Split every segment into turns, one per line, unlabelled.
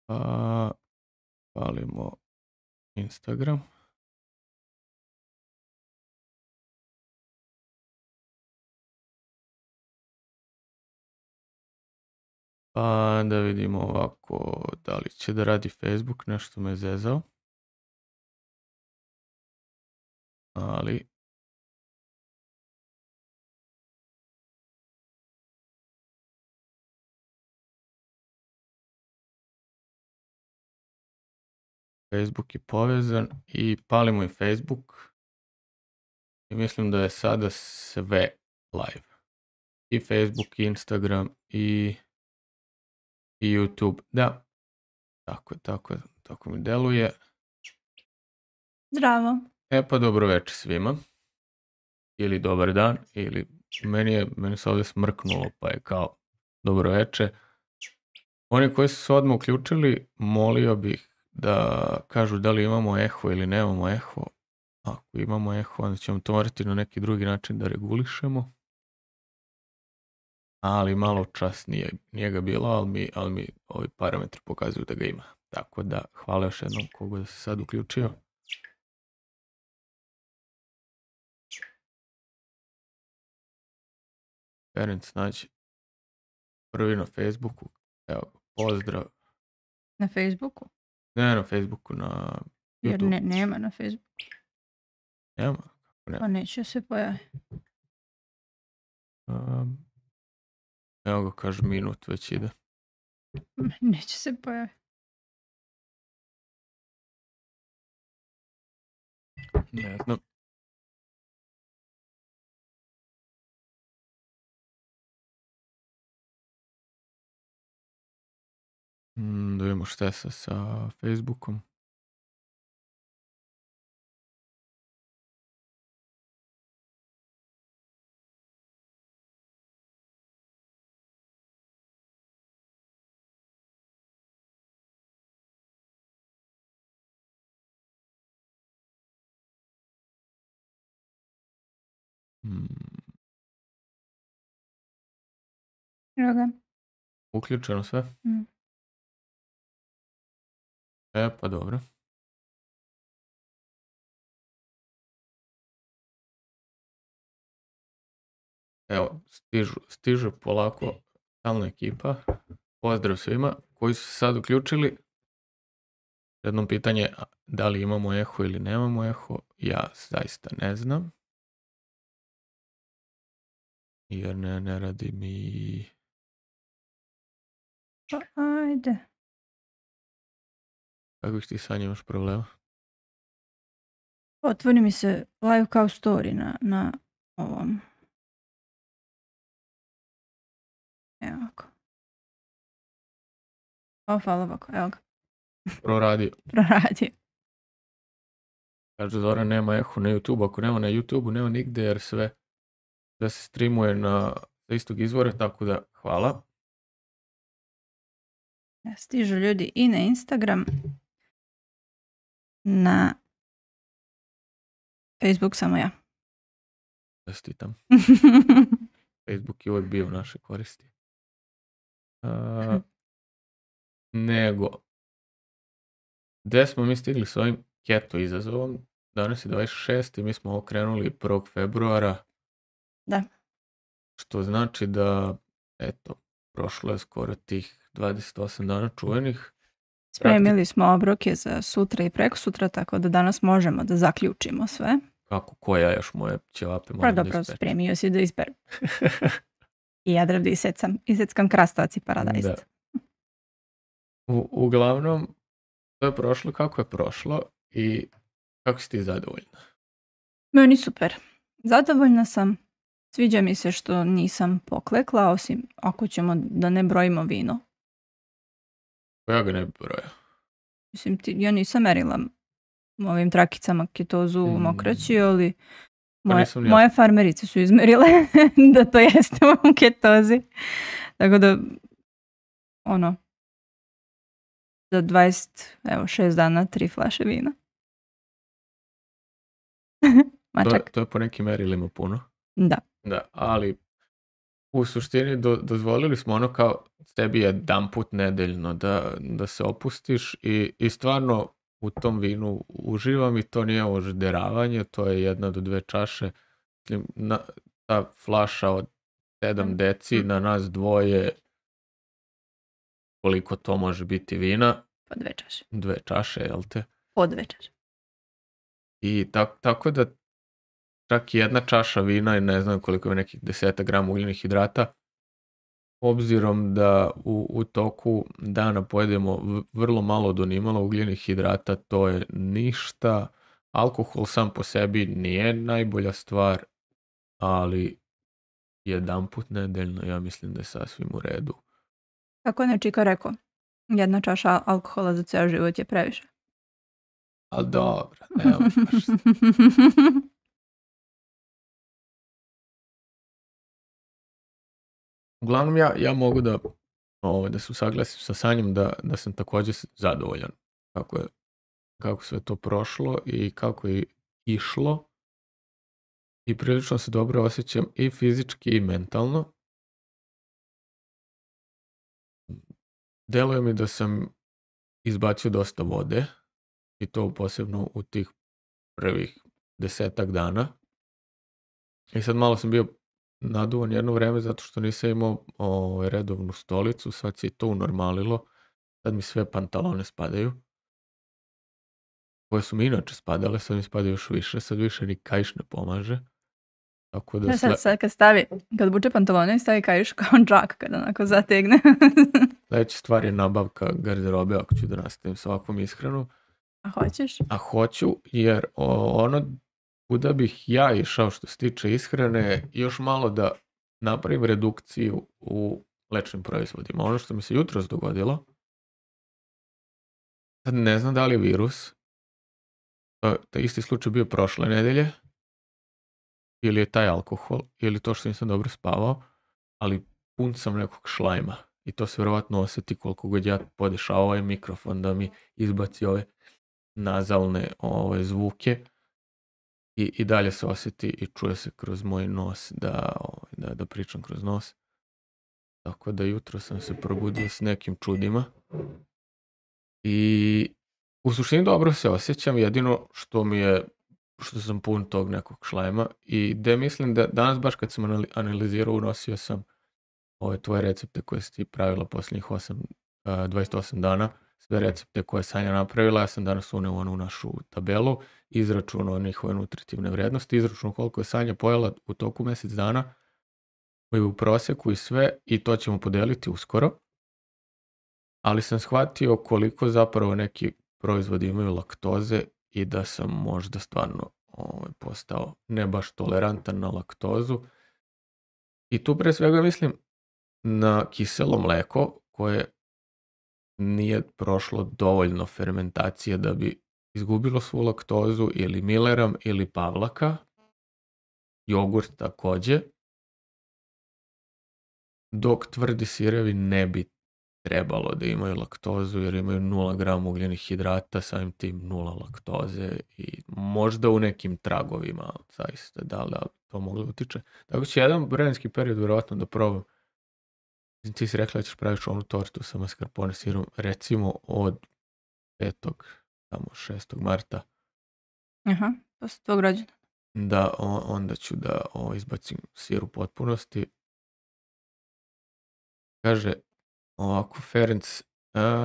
Pa palimo Instagram. Pa da vidimo ovako, da li će da radi Facebook, nešto me zezao. Ali Facebook je povezan i palimo i Facebook. I mislim da je sada sve live. I Facebook, i Instagram, i YouTube. Da, tako mi deluje.
Zdravo.
Pa dobro večer svima. Ili dobar dan, ili meni se ovdje smrknulo, pa je kao dobro večer. Oni koji su se odmah uključili, molio bih da kažu da li imamo eho ili nemamo eho. Ako imamo eho, onda ćemo to morati na neki drugi način da regulišemo. Ali malo čas nije ga bilo, ali mi ovi parametri pokazuju da ga ima. Tako da, hvala još jednom koga se sad uključio. Ferenc nađi prvi na Facebooku. Evo, pozdrav.
Na Facebooku?
Ne na Facebooku, na YouTube.
Jer nema na Facebooku.
Nema?
Pa neće se pojaviti.
Evo ga, kaže minut već ide.
Neće se pojaviti.
Ne znam. Da vidimo šta je sa Facebookom.
Evo ga.
Uključeno sve? Pa dobro. Evo, stižu polako stalna ekipa. Pozdrav svima koji su se sad uključili. Jedno pitanje, da li imamo eho ili nemamo eho, ja zaista ne znam. Jer ne radi mi...
Pa ajde.
Kakvih ti sad imaš problema?
Otvori mi se live kao story na ovom. Evo ovako. Hvala ovako, evo ga.
Proradio. Kaže Zora, nema eho na YouTube. Ako nema na YouTube, nema nigde jer sve se streamuje sa istog izvora, tako da hvala.
Stižu ljudi i na Instagram, na Facebook samo ja.
Čestitam. Facebook je uvijek bio u naše koristi. Nego, gde smo mi stigli s ovim keto izazovom? Danas je 26. i mi smo okrenuli 1. februara.
Da.
Što znači da, eto, prošlo je skoro tih 28 dana čuvenih.
Spremili smo obroke za sutra i prekosutra, tako da danas možemo da zaključimo sve.
Kako, koja još moje ćevape moram da ispečem?
Spremio si da isperem. I ja da iseckam krastavac i paradajz.
Uglavnom, to je prošlo kako je prošlo i kako si ti zadovoljna?
Meni super. Zadovoljna sam. Sviđa mi se što nisam poklekla, osim ako ćemo da ne brojimo vino.
Ja ga ne bi brojao.
Mislim, ja merila ovim trakicama ketozu u mokraći, ali moje farmerice su izmerile da to jeste u ketozi. Tako da, za 26 dana 3 flaše vina.
To je po nekim merilima puno.
Da.
Ali u suštini dozvolili smo ono kao tebi jedan put nedeljno da se opustiš i stvarno u tom vinu uživam i to nije ožderavanje, to je 1 do 2 čaše. Ta flaša od 7 deci na nas dvoje, koliko to može biti vina?
Po 2 čaše.
2 čaše, jel te?
Po 2 čaše.
I tako da čak 1 čaša vina i ne znam koliko je nekih 10 grama ugljenih hidrata, obzirom da u toku dana pojedemo vrlo malo do nimalo ugljenih hidrata, to je ništa. Alkohol sam po sebi nije najbolja stvar, ali 1 put nedeljno ja mislim da je sasvim u redu.
Kako je Čika rekao, 1 čaša alkohola za ceo život je previše.
Ali dobro, evo baš. Uglavnom ja mogu da se usaglasim sa Sanjom da sam također zadovoljan kako sve to prošlo i kako je išlo. I prilično se dobro osjećam i fizički i mentalno. Deluje mi da sam izbacio dosta vode i to posebno u tih prvih 10-ak dana. I sad malo sam bio naduvan jedno vreme zato što nisam imao redovnu stolicu, sad se i to unormalilo. Sad mi sve pantalone spadaju. Koje su mi inače spadale, sad mi spadaju još više, sad više ni kaiš ne pomaže. Tako da
sad kad buče pantalone i stavi kaiš kao džak kad onako zategne.
Sljedeća stvar je nabavka garderobe ako ću da nastavim s ovakvom ishranom.
A hoćeš?
A hoću, jer ono kuda bih ja išao što se tiče ishrane, još malo da napravim redukciju u mlečnim proizvodima. Ono što mi se jutros dogodilo, sad ne znam da li je virus, taj isti slučaj bio prošle nedelje, ili je taj alkohol, ili to što nisam dobro spavao, ali pun sam nekog šlajma. I to se vjerovatno osjeti koliko god ja podešao ovaj mikrofon da mi izbaci ove nazalne zvuke. I dalje se osjeti i čuje se kroz moj nos da pričam kroz nos. Tako da jutro sam se probudio s nekim čudima. I u suštini dobro se osjećam, jedino što sam pun tog nekog šlajma i gde mislim da danas baš kad sam analizirao unosio sam ove tvoje recepte koje si ti pravila posljednjih 28 dana, sve recepte koje je Sanja napravila, ja sam danas uneo onu našu tabelu, izračunao njihove nutritivne vrednosti, izračunao koliko je Sanja pojela u toku mjesec dana, koji je u prosjeku i sve, i to ćemo podeliti uskoro. Ali sam shvatio koliko zapravo neki proizvodi imaju laktoze i da sam možda stvarno postao ne baš tolerantan na laktozu. I tu pre svega mislim na kiselo mleko koje nije prošlo dovoljno fermentacije da bi izgubilo svu laktozu, ili Milleram ili Pavlaka. Jogurt također. Dok tvrdi sirevi ne bi trebalo da imaju laktozu jer imaju 0 grama ugljenih hidrata, samim tim 0 laktoze i možda u nekim tragovima, zaista, da li to moglo utiče. Tako će jedan vremenski period vjerojatno da probam. Ti si rekla da ćeš praviti onu tortu sa mascarpone sirom, recimo od 6. marta.
Aha, posle tvog rođena.
Da, onda ću da izbacim sir u potpunosti. Kaže ovako, Ferenc,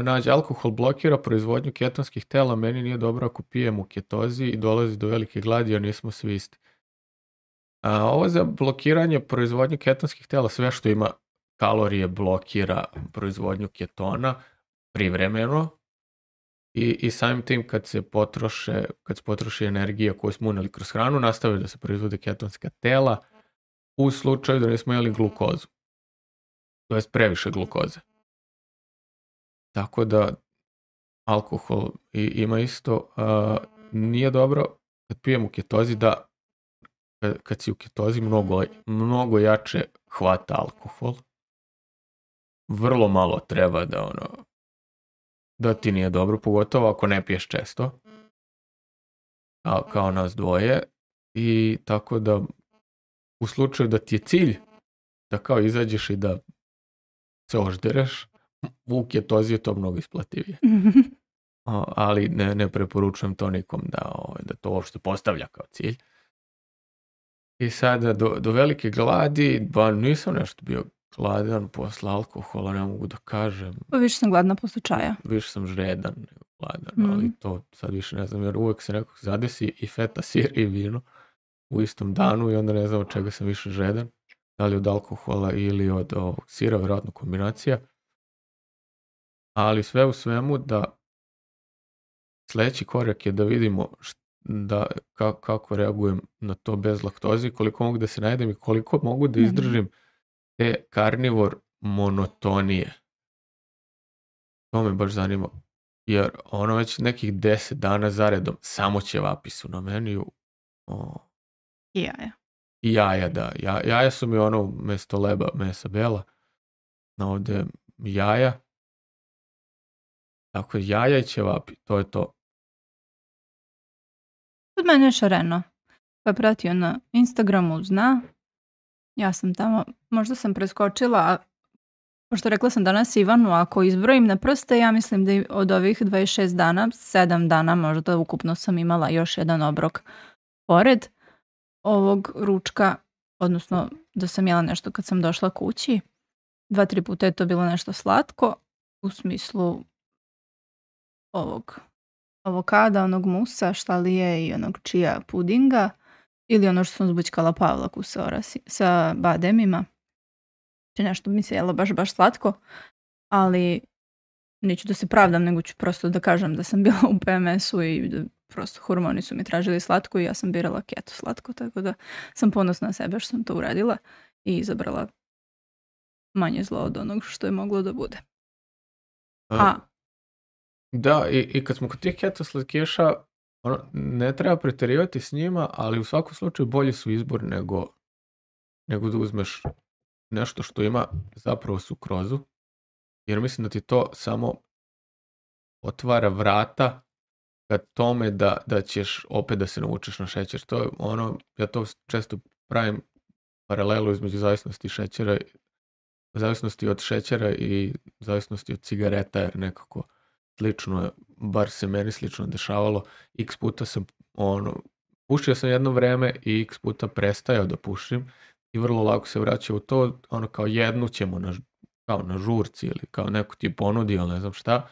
nađe, alkohol blokira proizvodnju ketonskih tela, meni nije dobro ako pijem u ketozi i dolazi do velike gladi, a nismo svi isti. Ovo za blokiranje proizvodnju ketonskih tela, sve što ima kalorije blokira proizvodnju ketona privremeno i samim tim kad se potroši energija koju smo uneli kroz hranu, nastavaju da se proizvode ketonska tela u slučaju da nismo jeli glukozu. To je previše glukoze. Tako da alkohol ima isto, nije dobro kad pijem u ketozi, da kad si u ketozi mnogo jače hvata alkohol. Vrlo malo treba da ti nije dobro, pogotovo ako ne piješ često, kao nas dvoje. I tako da u slučaju da ti je cilj da kao izađeš i da se oždereš, u ketozi je to mnogo isplativije. Ali ne preporučujem to nikom da to uopšte postavlja kao cilj. I sada do velike gladi, nisam nešto bio gladan posle alkohola, ne mogu da kažem.
Pa više sam gladna posle čaja.
Više sam žredan nego gladan, ali to sad više ne znam, jer uvek se nekog zadesi i feta, sir i vino u istom danu i onda ne znam od čega sam više žredan. Da li od alkohola ili od sira, vjerojatno kombinacija. Ali sve u svemu da sljedeći korak je da vidimo kako reagujem na to bez laktoze, koliko mogu da se najedem i koliko mogu da izdržim te karnivor monotonije. To me baš zanima. Jer već nekih 10 dana zaredom samo ćevapi su na meniju.
I jaja.
I jaja, da. Jaja su mi umjesto leba mesa bela. Ovdje jaja. Dakle, jaja i ćevapi. To je to.
Kod mene je Šareno. Pa je pratio na Instagramu, zna. Ja sam tamo, možda sam preskočila, pošto rekla sam danas Ivanu, ako izbrojim na prste, ja mislim da od ovih 26 dana, 7 dana možda ukupno sam imala još jedan obrok pored ovog ručka, odnosno da sam jela nešto kad sam došla kući. 2-3 puta je to bilo nešto slatko, u smislu ovog avokada, onog musa, štalije i onog čija pudinga, ili ono što sam zbućkala pavlaku sa bademima. Znači nešto mi se jelo baš slatko, ali neću da se pravdam, nego ću prosto da kažem da sam bila u PMS-u i da prosto hormoni su mi tražili slatko i ja sam birala keto slatko, tako da sam ponosna na sebe što sam to uradila i izabrala manje zlo od onog što je moglo da bude.
Da, i kad smo kod tih keto slatkiša, ne treba pretjerivati s njima, ali u svakom slučaju bolji su izbor nego da uzmeš nešto što ima zapravo sukrozu, jer mislim da ti to samo otvara vrata ka tome da ćeš opet da se naučiš na šećer. To je ja to često pravim paralelu između zavisnosti od šećera i zavisnosti od cigareta, jer nekako slično je, bar se meni slično dešavalo. X puta sam pušio sam jedno vreme i x puta prestajao da pušim i vrlo lako se vraća u to, kao jednu ćemo kao na žurci ili kao neko ti ponudi, ali ne znam šta,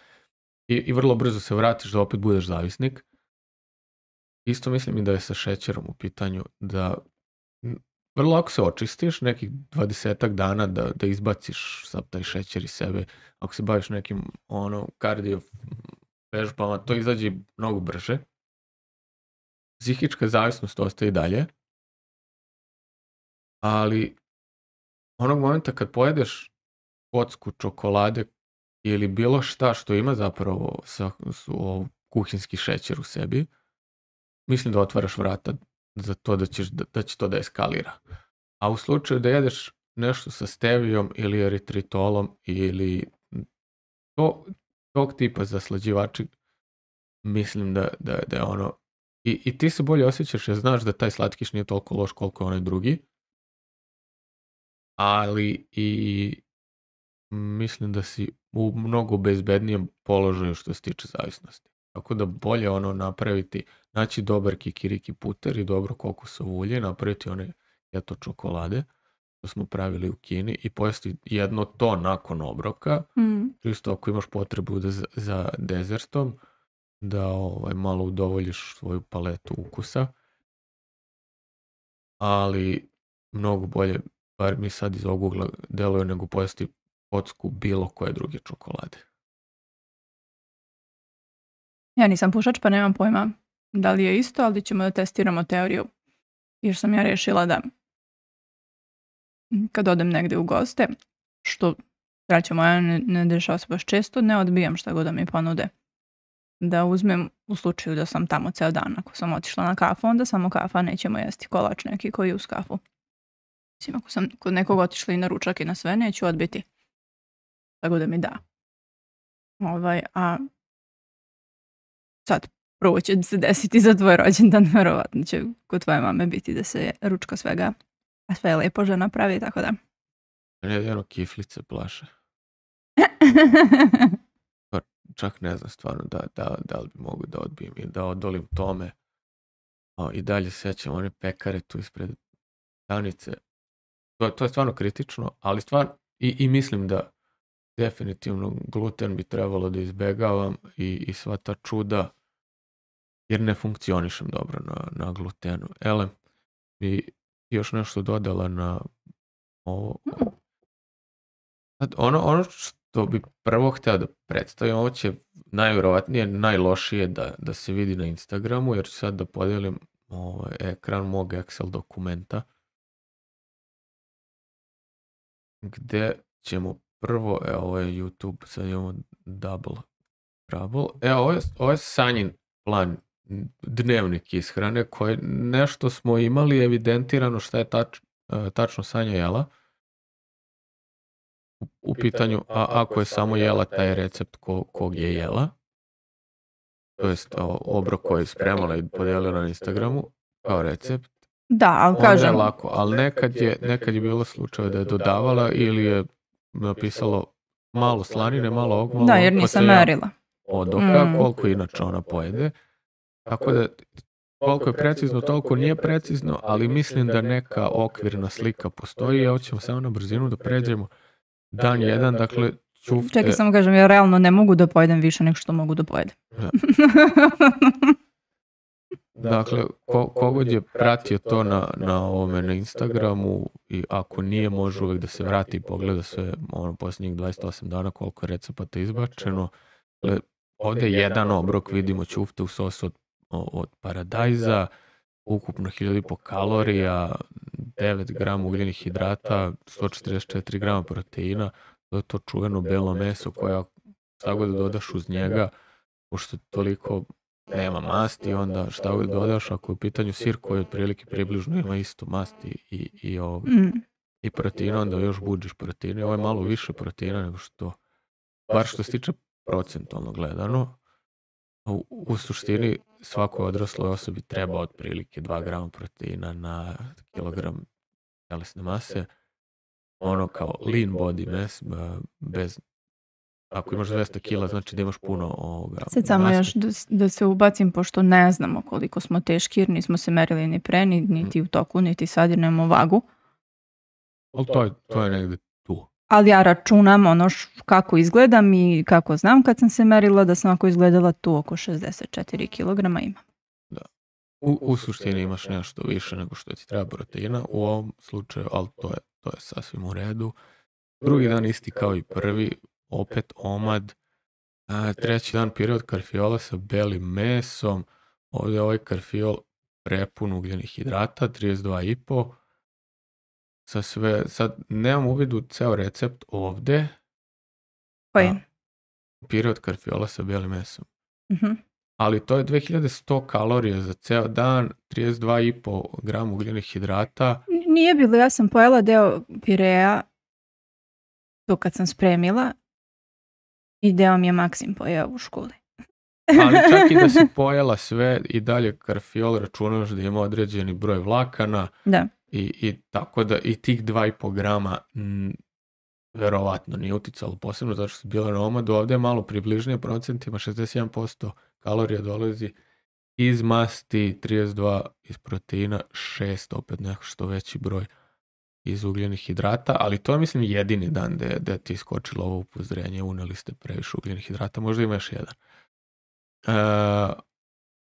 i vrlo brzo se vratiš da opet budeš zavisnik. Isto mislim i da je sa šećerom u pitanju, da vrlo lako se očistiš, nekih 20 dana da izbaciš sav taj šećer iz sebe. Ako se baviš nekim kardio vežbama, to izađe mnogo brže. Psihička zavisnost ostaje i dalje. Ali onog momenta kad pojedeš kocku čokolade ili bilo šta što ima zapravo kuhinski šećer u sebi, mislim da otvaraš vrata za to da će to da eskalira. A u slučaju da jedeš nešto sa stevijom ili eritritolom ili tog tipa zaslađivači, mislim da je i ti se bolje osjećaš jer znaš da taj slatkiš nije toliko loš koliko onaj drugi, ali i mislim da si u mnogo bezbednijem položaju što se tiče zavisnosti. Tako da bolje napraviti, naći dobar kikiriki puter i dobro kokosovo ulje, napraviti one keto čokolade, što smo pravili u Kini, i pojesti jedno to nakon obroka, čisto ako imaš potrebu za dezertom, da malo udovoljiš svoju paletu ukusa. Ali mnogo bolje, bar mi sad iz ovog ugla deluje, nego pojesti kocku bilo koje druge čokolade.
Ja nisam pušač, pa nemam pojma da li je isto, ali ćemo da testiramo teoriju. Jer sam ja rešila da kad odem negde u goste, što sreća moja ne dešava se baš često, ne odbijam šta god da mi ponude. Da uzmem u slučaju da sam tamo ceo dan. Ako sam otišla na kafu, onda samo kafa, nećemo jesti kolač neki koji je uz kafu. Mislim, ako sam kod nekog otišla i na ručak i na sve, neću odbiti. Tako da mi da. A sad, prvo će se desiti za tvoj rođendan, verovatno će kod tvoje mame biti da se ručka svega, a sve je lepo žena pravi, tako da
Jedino kiflice plaše. Pa čak ne znam stvarno da li bi mogu da odbijem i da odolim tome. I dalje sećam one pekare tu ispred stanice. To je stvarno kritično, ali stvarno i mislim da definitivno gluten bi trebalo da izbegavam i sva ta čuda, jer ne funkcionišem dobro na glutenu. Ele, bi još nešto dodala na ovo? Ono što bi prvo htio da predstavim, ovo će najvjerovatnije najlošije da se vidi na Instagramu, jer ću sad da podijelim ekran mog Excel dokumenta, gde ćemo prvo, ovo je YouTube, sad imamo double trouble. Ovo je Sanjin plan, dnevnik ishrane, koje nešto smo imali evidentirano šta je tačno Sanja jela. U pitanju, ako je samo jela taj recept kog je jela, to jest obrok koji je spremala i podijelila na Instagramu kao recept.
Da, ali kažem.
Je lako, ali nekad je bilo slučaj da je dodavala ili je napisalo malo slanine, malo ovog, malo.
Da, jer nisam merila.
Odoka, koliko inače ona pojede. Tako da, koliko je precizno, toliko nije precizno, ali mislim da neka okvirna slika postoji. Evo ćemo samo na brzinu da pređemo. Dan 1, dakle, ćufte.
Čekaj, samo kažem, ja realno ne mogu da pojedem više nego što mogu da pojedem.
Ja. Dakle, kogod je pratio to na ovome na Instagramu i ako nije, može uvijek da se vrati i pogleda sve posljednjih 28 dana koliko je recepata izbačeno. Dakle, ovdje je jedan obrok, vidimo ćufte u sosu od paradajza, ukupno 1500 kalorija, 9 grama ugljenih hidrata, 144 grama proteina, to je to čuveno belo meso koje šta god dodaš uz njega, pošto toliko nema masti, onda šta god dodaš, ako je u pitanju sir koji otprilike približno ima isto masti i proteina, onda još buđiš proteine. Ovo je malo više proteina nego što, bar što se tiče procentualno gledano. U suštini svakoj odrasloj osobi treba otprilike 2 grama proteina na kilogram telesne mase. Ono kao lean body mass, bez, ako imaš 200 kila, znači da imaš puno ovoga.
Sad samo još da se ubacim, pošto ne znamo koliko smo teški, jer nismo se merili ni pre, niti u toku, niti sad, jer nemamo vagu.
Ali to je negde tu.
Ali ja računam ono kako izgledam i kako znam kad sam se merila, da sam ako izgledala tu oko 64 kilograma imam.
Da. U suštini imaš nešto više nego što ti treba proteina u ovom slučaju, ali to je sasvim u redu. Drugi dan isti kao i prvi, opet omad. Treći dan period karfiola sa belim mesom. Ovdje je ovaj karfiol prepun ugljenih hidrata, 32,5. Sad nemam uvid u ceo recept ovdje.
Koji?
Period karfiola sa belim mesom.
Uh-huh.
Ali to je 2100 kalorija za ceo dan, 32,5 grama ugljenih hidrata.
Nije bilo, ja sam pojela deo pirea to kad sam spremila i deo mi je Maksim pojeo u školi.
Ali čak i da si pojela sve i dalje karfiol računaš da ima određeni broj vlakana.
Da.
I tako da i tih 2,5 grama verovatno nije uticalo posebno zato što su bile na omadu. Ovdje je malo približnije procentima, 61% kalorija dolazi iz masti, 32 iz proteina, 6 opet nešto veći broj iz ugljenih hidrata, ali to je mislim jedini dan da ti je skočilo ovo upozorenje, uneli ste previše ugljenih hidrata, možda ima još jedan.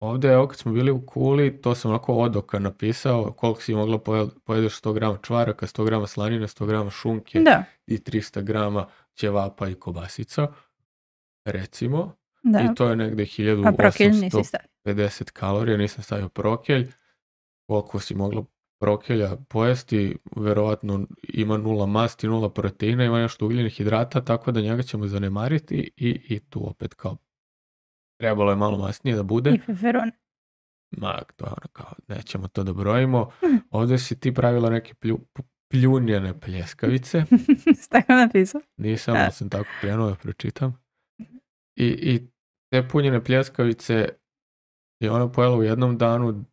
Ovdje, evo kad smo bili u Kuli, to sam onako odoka napisao, koliko si mogla pojedeš 100 grama čvaraka, 100 grama slanine, 100 grama šunke i 300 grama ćevapa i kobasica, recimo. Da. I to je negde 1850 kalorija, nisam stavio prokelj. Koliko si mogla prokelja pojesti, verovatno ima 0 masti, 0 proteina, ima nešto ugljenih hidrata, tako da njega ćemo zanemariti i tu opet kao trebalo je malo masnije da bude.
I feferon.
To je ono kao, nećemo to da brojimo. Ovdje si ti pravila neke pljunjene pljeskavice.
Tako napisao?
Nisam, ali sam tako krenuo da pročitam. I te punjene pljeskavice je ona pojela u jednom danu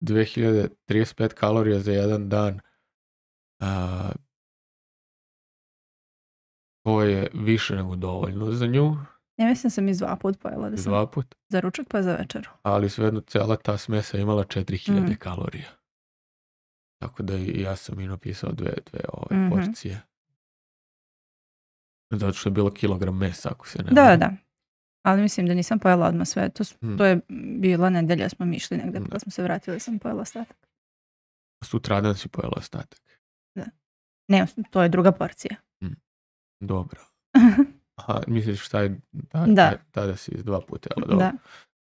2035 kalorija za jedan dan. To je više nego dovoljno za nju.
Ja mislim sam iz 2 put pojela. Da sam
2 put?
Za ručak pa za večeru.
Ali svejedno cijela ta smesa imala 4000 kalorija. Tako da i ja sam i napisao dve porcije. Zato što je bilo kilogram mesa, ako se ne varam.
Da. Ali mislim da nisam pojela odmah sve. To je bila nedelja, smo mi išli negdje, pa smo se vratili, sam pojela ostatak.
Sutradan si pojela ostatak?
Da. Ne, to je druga porcija.
Dobro. Aha, misliš tada si iz 2 puta jela?
Da.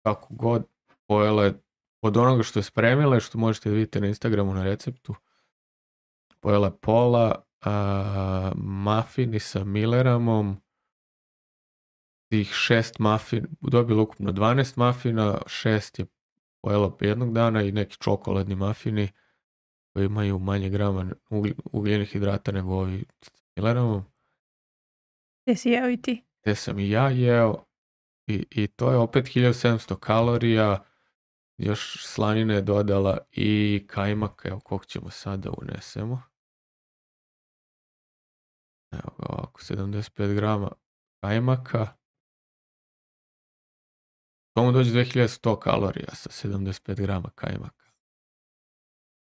Kako god, pojela je od onoga što je spremila, što možete vidjeti na Instagramu na receptu. Pojela je pola, mafini sa Milleramom, tih 6 mafina, dobila ukupno 12 mafina, 6 je pojela jednog dana i neki čokoladni mafini koji imaju manje grama ugljenih hidrata nego ovi s Milleramom.
Te si jeo i ti?
Te sam i ja jeo i to je opet 1700 kalorija, još slanine je dodala i kajmaka, evo koliko ćemo sada unesemo. Evo ga ovako, 75 grama kajmaka. To mu dođe 2100 kalorija sa 75 grama kajmaka.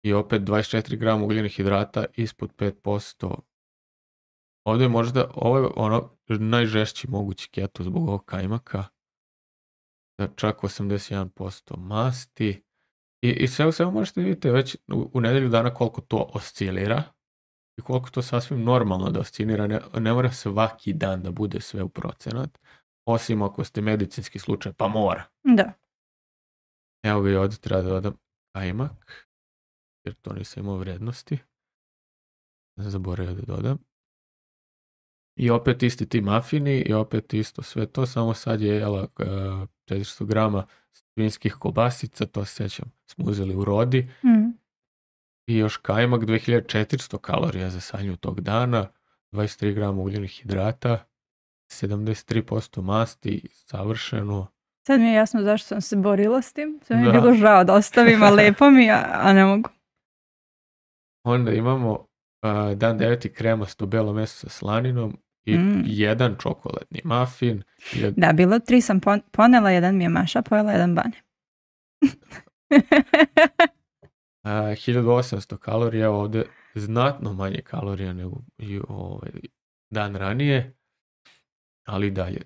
I opet 24 grama ugljenih hidrata ispod 5%. Ovdje je možda, ovo je ono najžešći mogući keto zbog ovog kajmaka. Čak 81% masti. I sve u svemu možete vidjeti već u nedelju dana koliko to oscilira. I koliko to sasvim normalno da oscilira. Ne mora svaki dan da bude sve u procenat. Osim ako ste medicinski slučaj, pa mora.
Da.
Evo ga i ovdje treba da dodam kajmak. Jer to nisam imao vrednosti. Zaboravio da dodam. I opet isti ti mafini i opet isto sve to, samo sad je jela 400 grama svinjskih kobasica, to se sjećam, smo uzeli u Rodi. I još kajmak, 2400 kalorija za sanju tog dana, 23 grama ugljenih hidrata, 73% masti, savršeno.
Sad mi je jasno zašto sam se borila s tim, sve mi je bilo žao da ostavim, a lepo mi, a ne mogu.
Onda imamo dan 9. kremasto belo meso sa slaninom i jedan čokoladni mafin.
Da, bilo 3 sam ponela, jedan mi je Maša pojela, jedan Bane.
1800 kalorija, ovdje znatno manje kalorija nego i dan ranije, ali dalje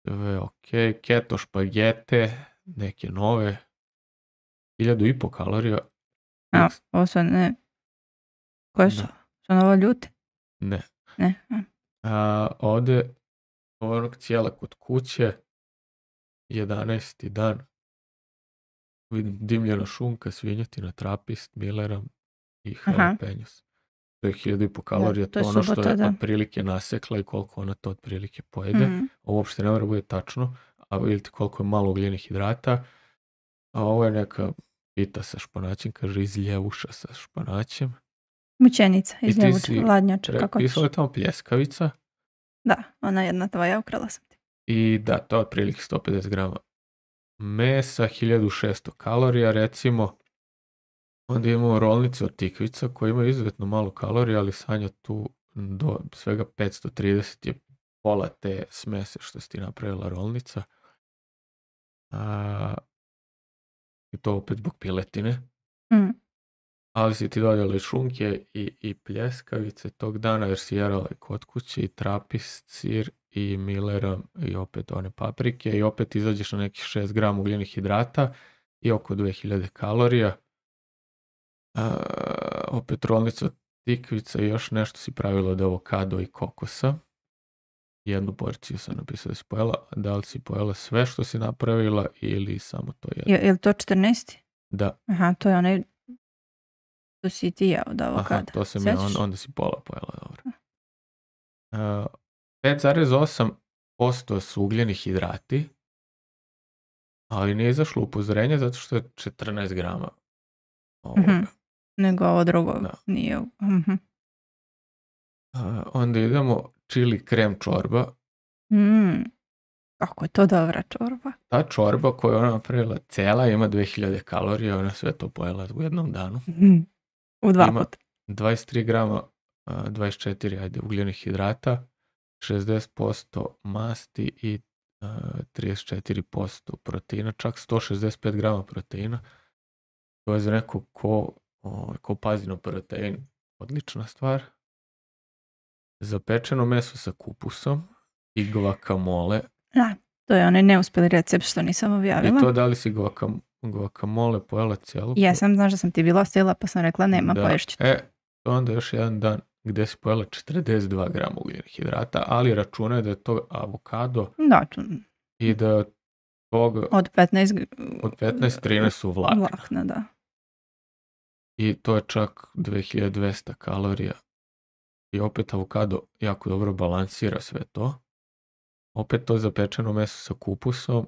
sve ok. Keto špagete, neke nove, 1500 kalorija.
Ovo su ne. Koje su? Su ovo ljute?
Ne.
Ne.
Ovdje onog cijela kod kuće, 11. dan, vidim dimljena šunka, svinjetina, trapist, Milleram i jalapeños. To je 1500 kalorija, to je ono što je otprilike nasekla i koliko ona to otprilike pojede. Ovo uopšte ne mora bude tačno, a vidite koliko je malo ugljenih hidrata. A ovo je neka pita sa španaćem, kaže iz ljevuša sa španaćem.
Mućenica, iz ljevuša, ladnjača, kako ćeš.
Pisala je tamo pljeskavica.
Da, ona jedna tvoja, ukrala sam ti.
I da, to je otprilike 150 grama mesa, 1600 kalorija recimo. Onda imamo rolnice od tikvica koje imaju izuzetno malo kalorija, ali Sanja tu do svega 530 je pola te smese što si ti napravila rolnica. I to opet zbog piletine. Ali si ti dodala i šunke i pljeskavice tog dana jer si jerala i kod kuće i trapist, sir i Milleram i opet one paprike i opet izađeš na nekih 6 grama ugljenih hidrata i oko 2000 kalorija. Opet rolnica od tikvica i još nešto si pravila od avokado i kokosa. Jednu porciju sam napisao da si pojela. Da li si pojela sve što si napravila ili samo to jedno?
Je li to 14?
Da.
Aha, to je onaj to si ti jeo od avokada.
Aha, to sam ja, onda si pola pojela, dobro. 5,8% su ugljeni hidrati, ali nije izašlo upozorenje zato što je 14 grama.
Nego ovo drugo nije.
Onda idemo čili krem čorba.
Kako je to dobra čorba?
Ta čorba koju ona napravila cela ima 2000 kalorija, ona sve to pojela u jednom danu.
U 2 puta.
23 grama, 24 ugljenih hidrata, 60% masti i 34% proteina, čak 165 grama proteina. To je za nekog ko pazi na protein odlična stvar. Zapečeno meso sa kupusom i guacamole.
Da, to je onaj neuspeli recept što nisam objavila.
I to da li si guacamole pojela cijelu?
Ja sam, znaš da sam ti bila ostavila pa sam rekla nema, poješću ti.
To onda još jedan dan gdje si pojela 42 grama ugljenih hidrata, ali računaj da je to avokado i da toga
od
15-13 su
vlakna, da.
I to je čak 2200 kalorija. I opet avokado jako dobro balansira sve to. Opet to zapečeno meso sa kupusom.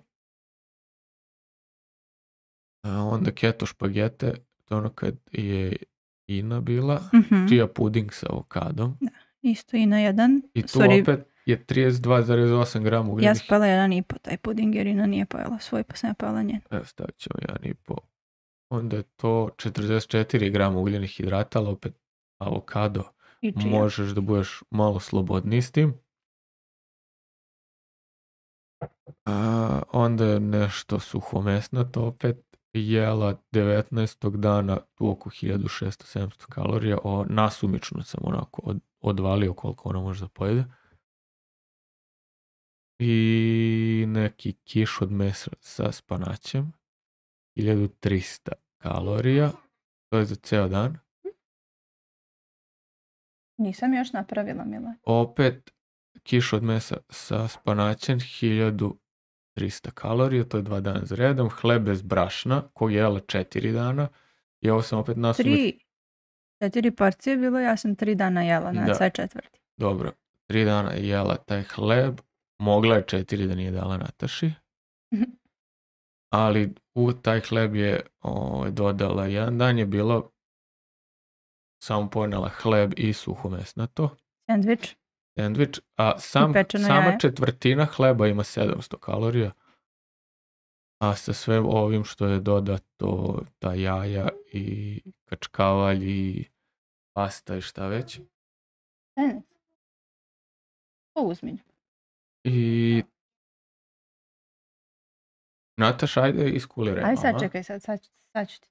Onda keto špagete, to ono kad je Ina bila, chia puding sa avokadom.
Da, isto Ina jedan.
I tu opet je 32,8 grama ugljenih.
Ja sam pojela 1,5 taj puding jer Ina nije pojela svoj, pa sam ja pojela njen.
Evo stavit ćemo 1,5. Onda je to 44 grama ugljenih hidrata, ali opet avokado. Možeš da budeš malo slobodniji s tim. Onda je nešto suhomesnato opet jela 19. dana tu oko 1600-700 kalorija. Nasumično sam onako odvalio koliko ona može da pojede. I neki kiš od mesa sa spanaćem. 1300 kalorija. To je za ceo dan.
Nisam još napravila, Mila.
Opet kiš od mesa sa spanaćem, 1300 kalorija, to je 2 dana za redom. Hleb bez brašna, koji je jela 4 dana. I ovo sam opet nasumično.
4 porcije bilo, ja sam 3 dana jela na sve četvrti.
Dobro, 3 dana je jela taj hleb. Mogla je 4 da nije dala Nataši. Ali u taj hleb je dodala, jedan dan je bilo samo ponela hleb i suhomesnato. Sandvič, a sama četvrtina hleba ima 700 kalorija. A sa sve ovim što je dodato, ta jaja i kačkavalj i pasta i šta već.
To uzmi.
I Nataša, ajde iskuliraj.
Ajde sad čekaj, sad ću ti.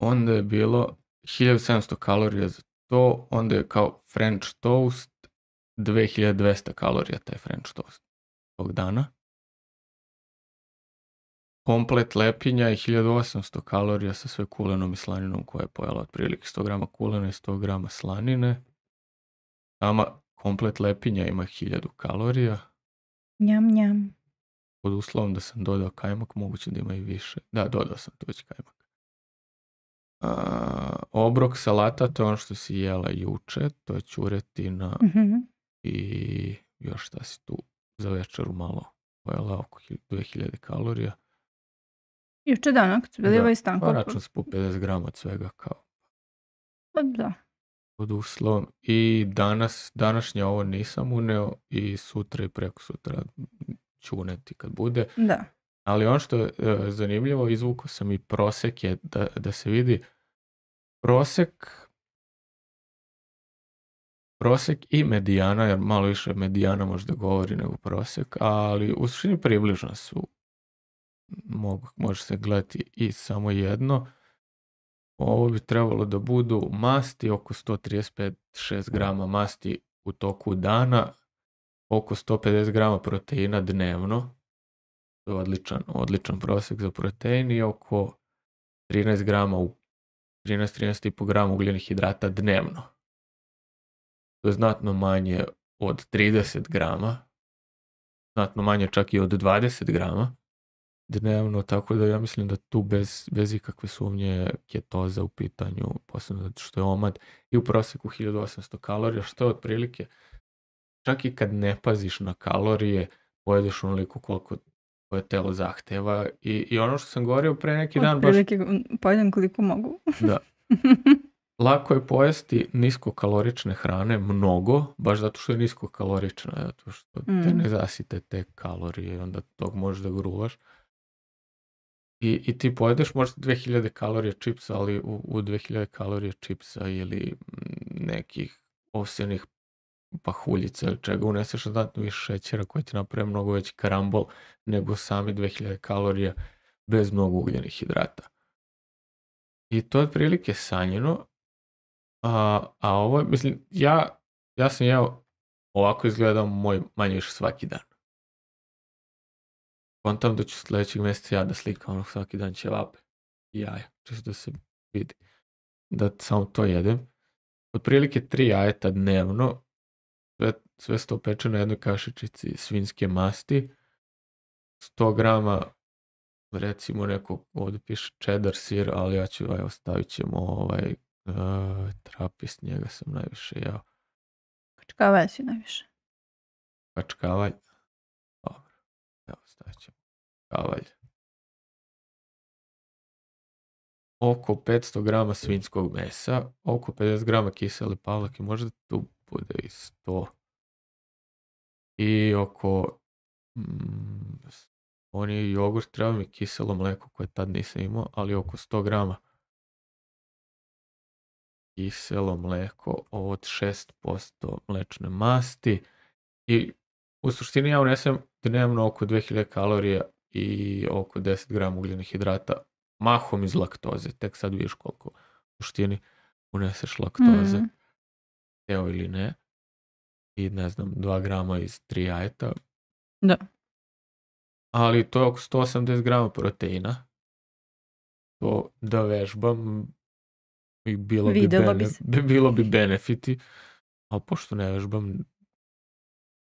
Onda je bilo 1700 kalorija za to, onda je kao French toast, 2200 kalorija taj French toast tog dana. Komplet lepinja je 1800 kalorija sa sve kulenom i slaninom koja je pojela otprilike 100 grama kulena i 100 grama slanine. Sama komplet lepinja ima 1000 kalorija.
Njam, njam.
Pod uslovom da sam dodao kajmak, moguće da ima i više. Da, dodao sam tu već kajmak. Obrok salata, to je ono što si jela juče, to je ćuretina i još šta si tu za večeru malo pojela, oko 2000 kalorija.
Juče dana, kad su bili ovaj stanko.
Pa račun se po 50 grama od svega kao.
Da.
Pod uslovom. I današnje ovo nisam uneo i sutra i preko sutra ću uneti kad bude.
Da.
Ali ono što je zanimljivo, izvukao sam i prosek je da se vidi prosek i medijana, jer malo više medijana možda govori nego prosek, ali u suštini približno su. Može se gledati i samo jedno. Ovo bi trebalo da budu masti, oko 135-6 grama masti u toku dana, oko 150 grama proteina dnevno. To je odličan prosjek za protein i oko 13 grama 13,5 grama ugljenih hidrata dnevno. To je znatno manje od 30 grama, znatno manje čak i od 20 grama dnevno, tako da ja mislim da tu bez ikakve sumnje ketoza u pitanju, posebno zato što je omad i u prosjeku 1800 kalorija, što je otprilike, čak i kad ne paziš na kalorije, pojedeš onoliko koliko koje telo zahteva i ono što sam govorio pre neki dan
otprilike pojedem koliko mogu.
Da. Lako je pojesti niskokalorične hrane mnogo, baš zato što je niskokalorična, zato što te ne zasite te kalorije i onda tog možeš da gruvaš. I ti pojedeš možda 2000 kalorija čipsa, ali u 2000 kalorija čipsa ili nekih ovsjanih pahuljica ili čega, uneseš znatno više šećera koji ti napravi mnogo veći karambol nego sami 2000 kalorija bez mnogo ugljenih hidrata. I to je otprilike sanjeno, a ovo, mislim, ja sam jeo, ovako izgledao moj manje više svaki dan. Kontam da ću sljedećeg mjeseca ja da slikam svaki dan ćevape i jaja, čisto da se vidi da samo to jedem. Otprilike 3 jajeta dnevno, sve sto peče na jednoj kašičici svinjske masti, 100 grama, recimo neko, ovdje piše cheddar sir, ali ja ću, evo, stavit ćemo trapist, njega sam najviše jeo.
Kačkavalj si najviše.
Kačkavalj, dobro, evo, stavit ćemo kačkavalj. Oko 500 grama svinjskog mesa, oko 50 grama kisele pavlake, možda tu bude i 100. I oko oni jogurt, treba mi kiselo mleko koje tad nisam imao, ali oko 100 grama kiselo mleko od 6% mlečne masti. I u suštini ja unesem dnevno oko 2000 kalorija i oko 10 grama ugljenih hidrata, mahom iz laktoze. Tek sad vidiš koliko u suštini uneseš laktoze, teo ili ne. I ne znam, 2 grama iz 3 jajeta.
Da.
Ali to je oko 180 grama proteina. To da vežbam i bilo bi benefiti. Ali pošto ne vežbam,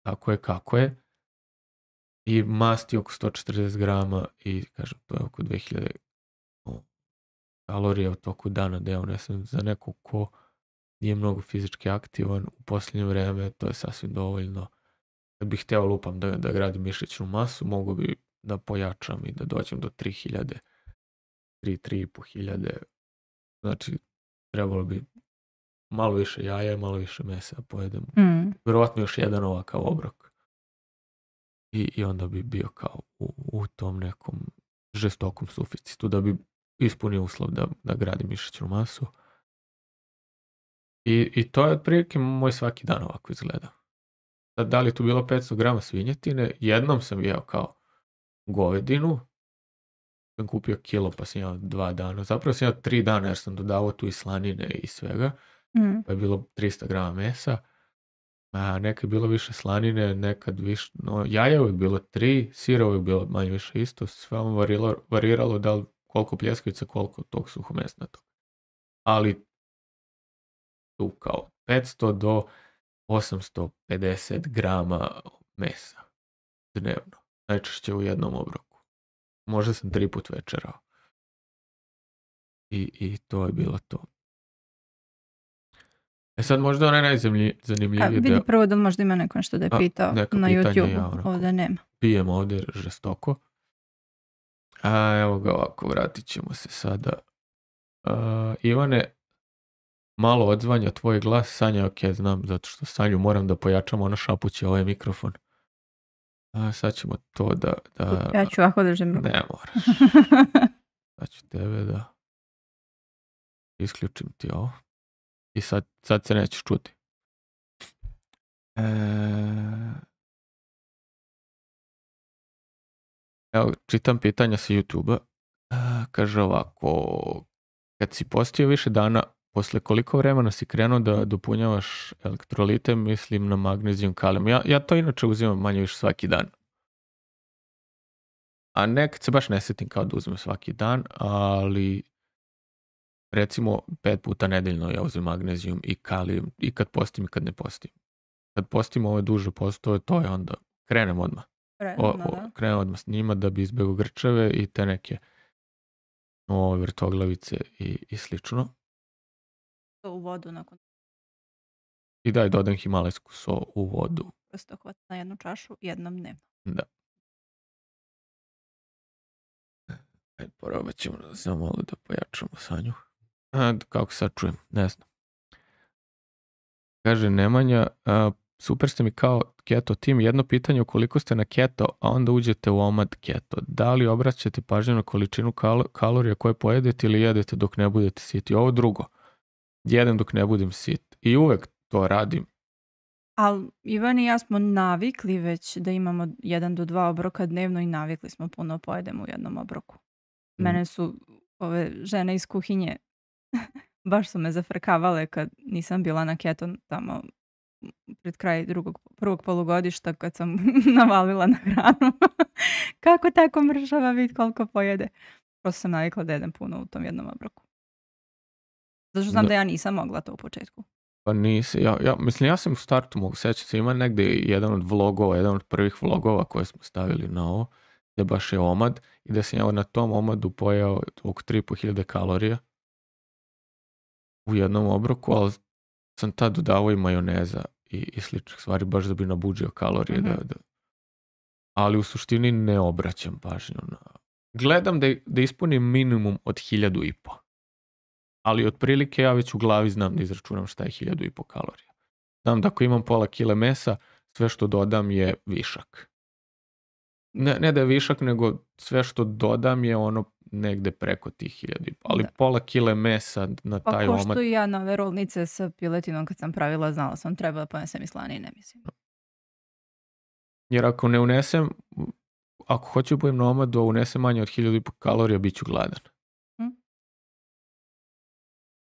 tako je kako je. I masti oko 140 grama i kažem, to je oko 2000 kalorija u toku dana da ja unesem za nekog ko nije mnogo fizički aktivan u posljednje vreme, to je sasvim dovoljno. Kad bih hteo lupam da gradim mišićnu masu, mogu bi da pojačam i da dođem do 3000, 3.500. Znači, trebalo bi malo više jaja i malo više mesa da pojedem. Vjerovatno još jedan ovakav obrok. I onda bi bio kao u tom nekom žestokom suficitu da bi ispunio uslov da gradim mišićnu masu. I to je otprilike moj svaki dan ovako izgleda. Sad, da li je tu bilo 500 grama svinjetine, jednom sam jeo kao govedinu, sam kupio kilo pa sam jeo 2 dana, zapravo sam jeo 3 dana jer sam dodavao tu i slanine i svega, pa je bilo 300 grama mesa, nekad je bilo više slanine, nekad više, jaja je uvijek bilo 3, sira uvijek bilo manje više isto, sve vam variralo da li koliko pljeskavica, koliko tog suhomesnatog. Ali tu kao 500 do 850 grama mesa dnevno. Najčešće u jednom obroku. Možda sam 3 put večerao. I to je bilo to. Sad možda onaj najzanimljiviji
vidi prvo da možda ima neko nešto da je pitao na YouTube. Ovdje nema.
Pijem ovdje žestoko. Evo ga ovako, vratit ćemo se sada. Ivane, malo odzvanja tvoj glas. Sanja, ok, znam, zato što Sanju moram da pojačam, ona šapuće ovaj mikrofon. Sad ćemo to da...
Ja ću ovako držim ruku.
Ne moraš. Sad ću tebe da isključim ti ovo. I sad se nećeš čuti. Evo, čitam pitanja sa YouTube-a. Kaže ovako, kad si postio više dana, posle koliko vremena si krenuo da dopunjavaš elektrolite, mislim na magnezijum, kalijum. Ja to inače uzimam manje više svaki dan. A nekad se baš ne sjetim kao da uzmem svaki dan, ali recimo 5 puta nedeljno ja uzmem magnezijum i kalijum i kad postim i kad ne postim. Kad postim ove duže postoje, to je onda krenem odmah. Krenem odmah s njima da bi izbjegao grčeve i te neke vrtoglavice i slično.
To u vodu nakon.
I dodam himalajsku so u vodu.
Prosto hvata na jednu čašu jednom dnevno.
Da. Probat ćemo samo malo da pojačamo Sanju. Kako sad čujem, ne znam. Kaže Nemanja, super ste mi kao keto tim. Jedno pitanje, ukoliko ste na keto, a onda uđete u omad keto, da li obraćate pažnju na količinu kalorija koje pojedete ili jedete dok ne budete siti? Ovo drugo, jedem dok ne budem sit. I uvek to radim.
Ali Ivan i ja smo navikli već da imamo 1 do 2 obroka dnevno i navikli smo puno pojedemo u jednom obroku. Mene su ove žene iz kuhinje baš su me zafrkavale kad nisam bila na keto tamo pred kraj prvog polugodišta kad sam navalila na hranu. Kako tako mršava vid koliko pojede. Prosto sam navikla da jedem puno u tom jednom obroku. Zato što znam da ja nisam mogla to u početku.
Pa nisi, ja sam u startu mogu sećati se, ima negdje jedan od prvih vlogova koje smo stavili na ovo, gdje baš je omad i da sam ja na tom omadu pojao oko 3.500 kalorija u jednom obroku, ali sam tad dodavao i majoneza i sličnih stvari baš da bi nabuđio kalorije. Ali u suštini ne obraćam pažnju na... Gledam da ispunim minimum od 1.500. Ali otprilike ja već u glavi znam da izračunam šta je 1.500 kalorija. Znam da ako imam pola kile mesa, sve što dodam je višak. Ne da je višak, nego sve što dodam je ono negde preko tih 1.500. Ali pola kile mesa na taj omad...
Pa ko što i ja na ove rolnice sa piletinom kad sam pravila, znala sam treba da ponesem i slanine, mislim.
Jer ako ne unesem, ako hoću budem na omadu, a unesem manje od 1.500 kalorija, bit ću gladan.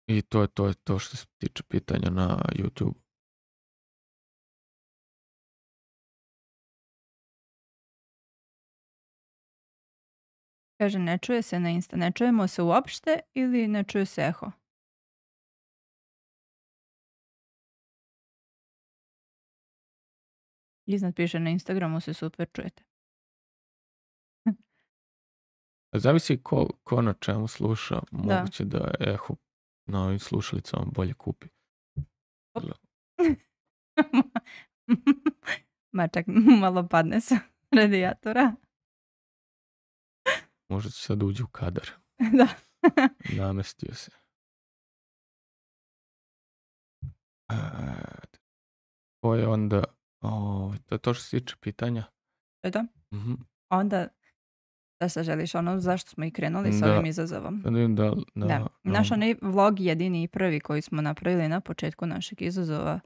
I to je to što se tiče pitanja na YouTube.
Kaže, ne čuje se na Insta. Ne čujemo se uopšte ili ne čuje se eho? Iznad piše na Instagramu se super čujete.
Zavisi ko na čemu sluša. Moguće da eho na ovim slušalicama bolje kupi.
Ma čak malo padne sa radijatora.
Možda će sad uđi u kadar.
Da.
Namestio se. To je onda... to je to što se tiče pitanja.
To je to? Onda, da se želiš zašto smo i krenuli s ovim izazovom?
Da.
Naš onaj vlog jedini i prvi koji smo napravili na početku našeg izazova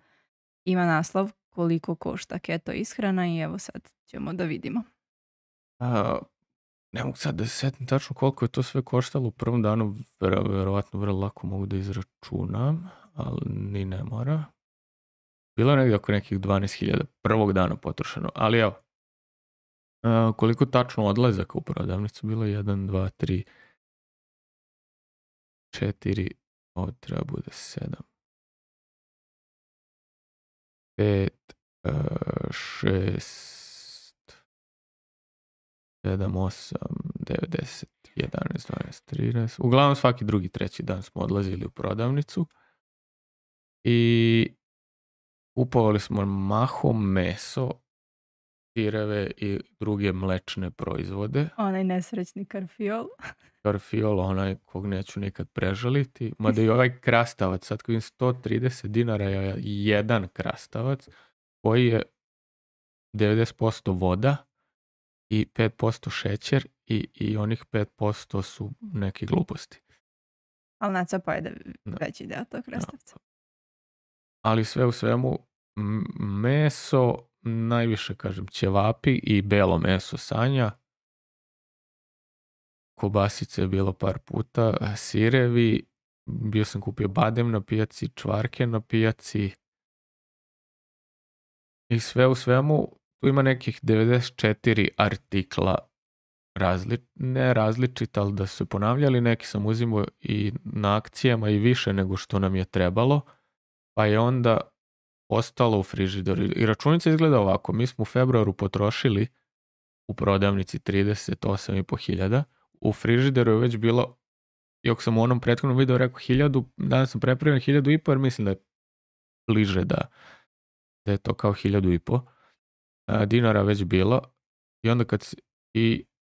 ima naslov koliko košta keto ishrana i evo sad ćemo da vidimo.
Ne mogu sad da se setim tačno koliko je to sve koštalo u prvom danu, verovatno vrlo lako mogu da izračunam, ali ni ne mora. Bilo je negdje oko nekih 12.000 prvog dana potrošeno, ali evo, koliko tačno odlazaka u prodavnicu bilo? 1, 2, 3, 4, ovo treba bude 7, 5, 6, 7, 8, 9, 10, 11, 12, 13. Uglavnom svaki drugi, treći dan smo odlazili u prodavnicu i kupovali smo mahom meso, sireve i druge mlečne proizvode.
Onaj nesrećni karfiol.
Karfiol, onaj kog neću nikad prežaliti. Mada i ovaj krastavac, sad koji je 130 dinara je jedan krastavac koji je 90% voda i 5% šećer i onih 5% su neke gluposti.
Ali Naca pojede veći deo tog krastavca.
Ali sve u svemu meso, najviše kažem ćevapi i belo meso Sanja. Kobasice je bilo par puta, sirevi, bio sam kupio badem na pijaci, čvarke na pijaci i sve u svemu tu ima nekih 94 artikla ne različita, ali da su se ponavljali, neki sam uzimao i na akcijama i više nego što nam je trebalo, pa je onda ostalo u frižideru. I računica izgleda ovako, mi smo u februaru potrošili u prodavnici 38.500, u frižideru je već bilo, iako sam u onom prethodnom videu rekao 1.000, danas sam prepravio 1.500 jer mislim da je bliže da je to kao 1.500 dinara već bilo. I onda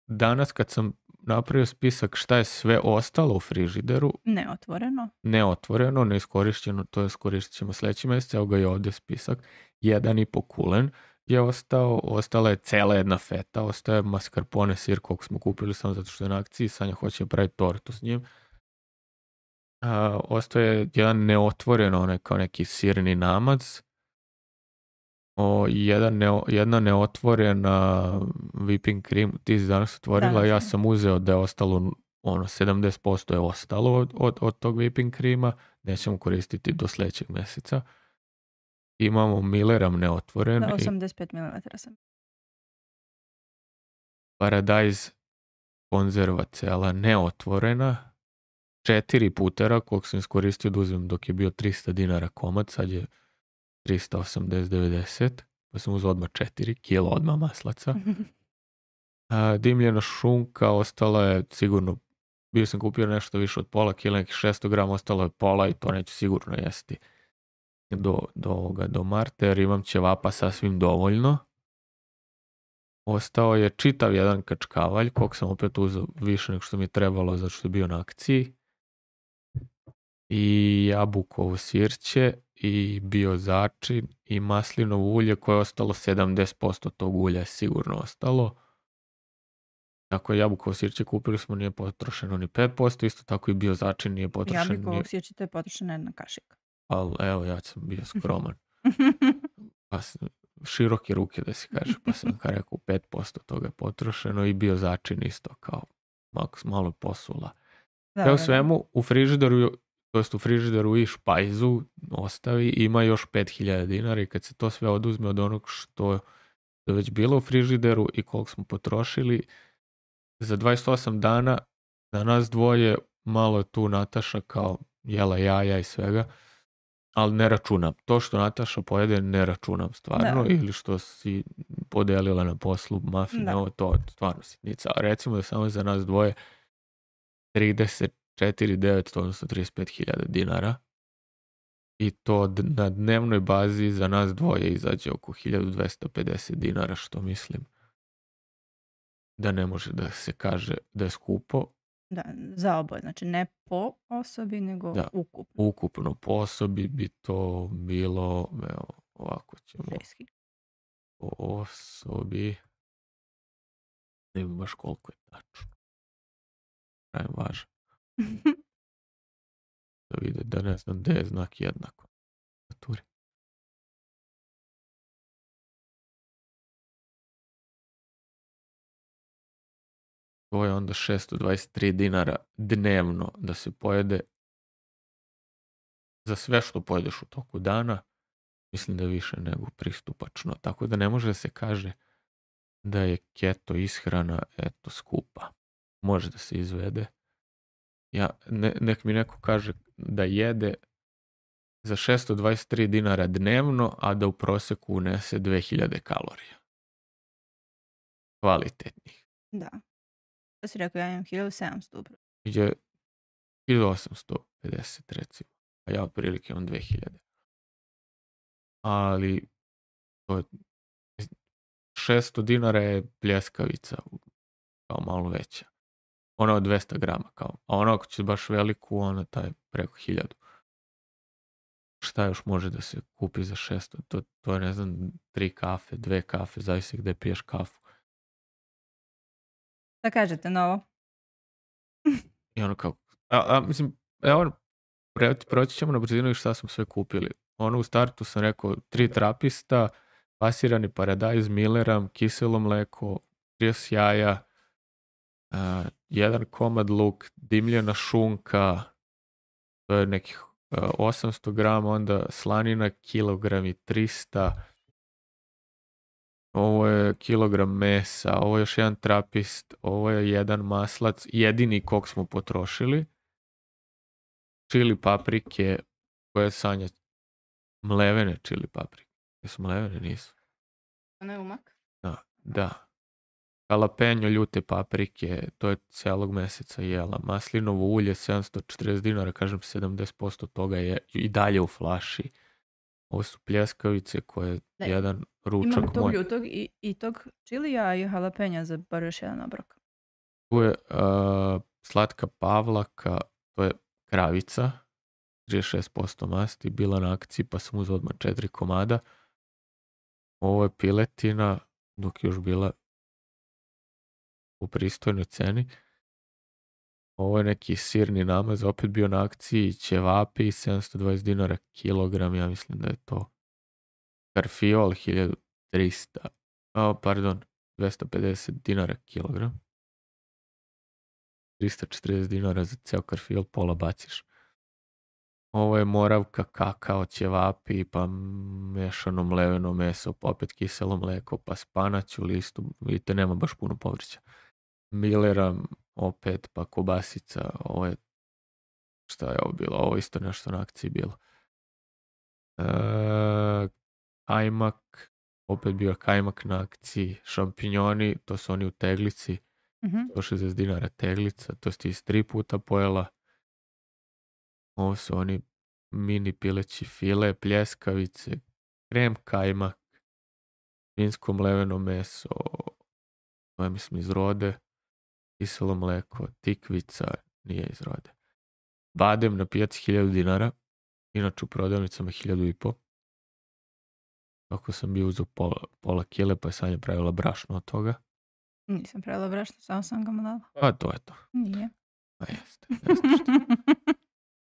danas kad sam napravio spisak šta je sve ostalo u frižideru, neotvoreno, neiskorišćeno, to je skoristit ćemo sljedeći mjesec, evo ga je ovdje spisak, 1,5 kulen je ostala je cela jedna feta, ostaje mascarpone sir kog smo kupili samo zato što je na akciji, Sanja hoće praviti tortu s njim. Ostaje jedan neotvoren, onaj kao neki sirni namaz jedna neotvorena whipping cream, ti si danas otvorila, ja sam uzeo da je ostalo 70% je ostalo od tog whipping creama, nećemo koristiti do sljedećeg mjeseca. Imamo Milleram neotvoren.
Da, 85 ml sam.
Paradise konzerva cela neotvorena. 4 putera koliko sam iskoristio da uzmem dok je bio 300 dinara komad, sad je 380-90, pa sam uzeo odmah 4 kilo odmah maslaca. Dimljena šunka ostala je sigurno, bio sam kupio nešto više od pola kila, nekih 600 grama, ostalo je pola i to neću sigurno jesti do marta, jer imam ćevapa sasvim dovoljno. Ostao je čitav jedan kačkavalj, koliko sam opet uzeo više nego što mi je trebalo, zato što je bio na akciji. I jabukovo sirće, i bio začin, i maslinovo ulje koje je ostalo, 70% tog ulja je sigurno ostalo. Tako je jabukovo sirće kupili smo, nije potrošeno ni 5%, isto tako i bio začin nije potrošeno.
Jabukovo sirće to je potrošena jedna kašika.
Ali evo, ja sam bio skroman. Pa široke ruke da si kaže, pa sam rekao 5% toga je potrošeno i bio začin isto kao malo posula. Sve u svemu u frižideru, to jest u frižideru i špajzu ostavi, ima još 5000 dinara i kad se to sve oduzme od onog što je već bilo u frižideru i koliko smo potrošili, za 28 dana za nas dvoje, malo je tu Nataša kao jela jaja i svega, ali ne računam. To što Nataša pojede ne računam stvarno, ili što si podelila na poslu mafine, to stvarno sitnica. A recimo da samo za nas dvoje 34.900, odnosno 35.000 dinara. I to na dnevnoj bazi za nas dvoje izađe oko 1250 dinara, što mislim da ne može da se kaže da je skupo.
Da, za oboje, znači ne po osobi, nego ukupno.
Ukupno po osobi bi to bilo, evo, ovako ćemo.
6.000.
Po osobi, ne znam baš koliko je tačno. Pravi važan. Da vide da ne znam gde je znak jednako. To je onda 623 dinara dnevno da se pojede za sve što pojedeš u toku dana. Mislim da je više nego pristupačno. Tako da ne može da se kaže da je keto ishrana skupa. Može da se izvede. Nek mi neko kaže da jede za 623 dinara dnevno, a da u proseku unese 2000 kalorija. Kvalitetnih.
Da. To si rekao, ja imam 1700 upravo.
Je 1850 recimo, a ja otprilike imam 2000. Ali to je 600 dinara je pljeskavica, kao malo veća. Ona od 200 grama, kao. A ona ako će baš veliku, ona taj preko 1000. Šta još može da se kupi za 600? To je, ne znam, 3 kafe, 2 kafe, zavisi gde piješ kafu.
Šta kažete na ovo?
I ono kao, mislim, evo, proći ćemo na brzinu i šta smo sve kupili. Ono u startu sam rekao 3 trapista, pasirani paradajz, Milleram, kiselo mleko, 30 jaja, 1 komad luk, dimljena šunka, to je nekih 800 grama, onda slanina, kilogram i 300, ovo je kilogram mesa, ovo je još 1 trapist, ovo je 1 maslac, jedini kog smo potrošili, čili paprike, koje Sanja, mlevene čili paprike, jesu mlevene, nisu?
Ono je umak?
Da. Jalapeno, ljute paprike, to je celog meseca jela. Maslinovo ulje, 740 dinara, kažem 70% toga je i dalje u flaši. Ovo su pljeskavice koje jedan ručak moj.
Imam tog ljutog i tog čilija i jalapena za bar još jedan obrok.
Tu je slatka pavlaka, to je kravica, 36% masti, bila na akciji pa sam uzeo odmah 4 komada. Ovo je piletina, dok je još bila u pristojnoj ceni. Ovo je neki sirni namaz, opet bio na akciji, ćevapi, 720 dinara kilogram, ja mislim da je to karfiol 250 dinara kilogram. 340 dinara za ceo karfiol, pola baciš. Ovo je moravka, kakao, ćevapi, pa mešano mleveno meso, pa opet kiselo mleko, pa spanać u listu, vidite, nema baš puno povrća. Millera, opet, pa kobasica, ovo je, šta je ovo bilo, ovo isto nešto na akciji bilo. Kajmak, opet bio kajmak na akciji, šampinjoni, to su oni u teglici, 160 dinara teglica, to ste iz 3 puta pojela. Ovo su oni mini pileći file, pljeskavice, krem kajmak, svinjsko mleveno meso, to je mislim iz Rode, kiselo mleko, tikvica, nije iz Rode. Badem na pijaci 1000 dinara, inače u prodavnicama 1500. Ako sam bio uzeo pola kile, pa je Sanja pravila brašno od toga.
Nisam pravila brašno, samo sam ga mu dala.
A to je to.
Nije.
A jeste što.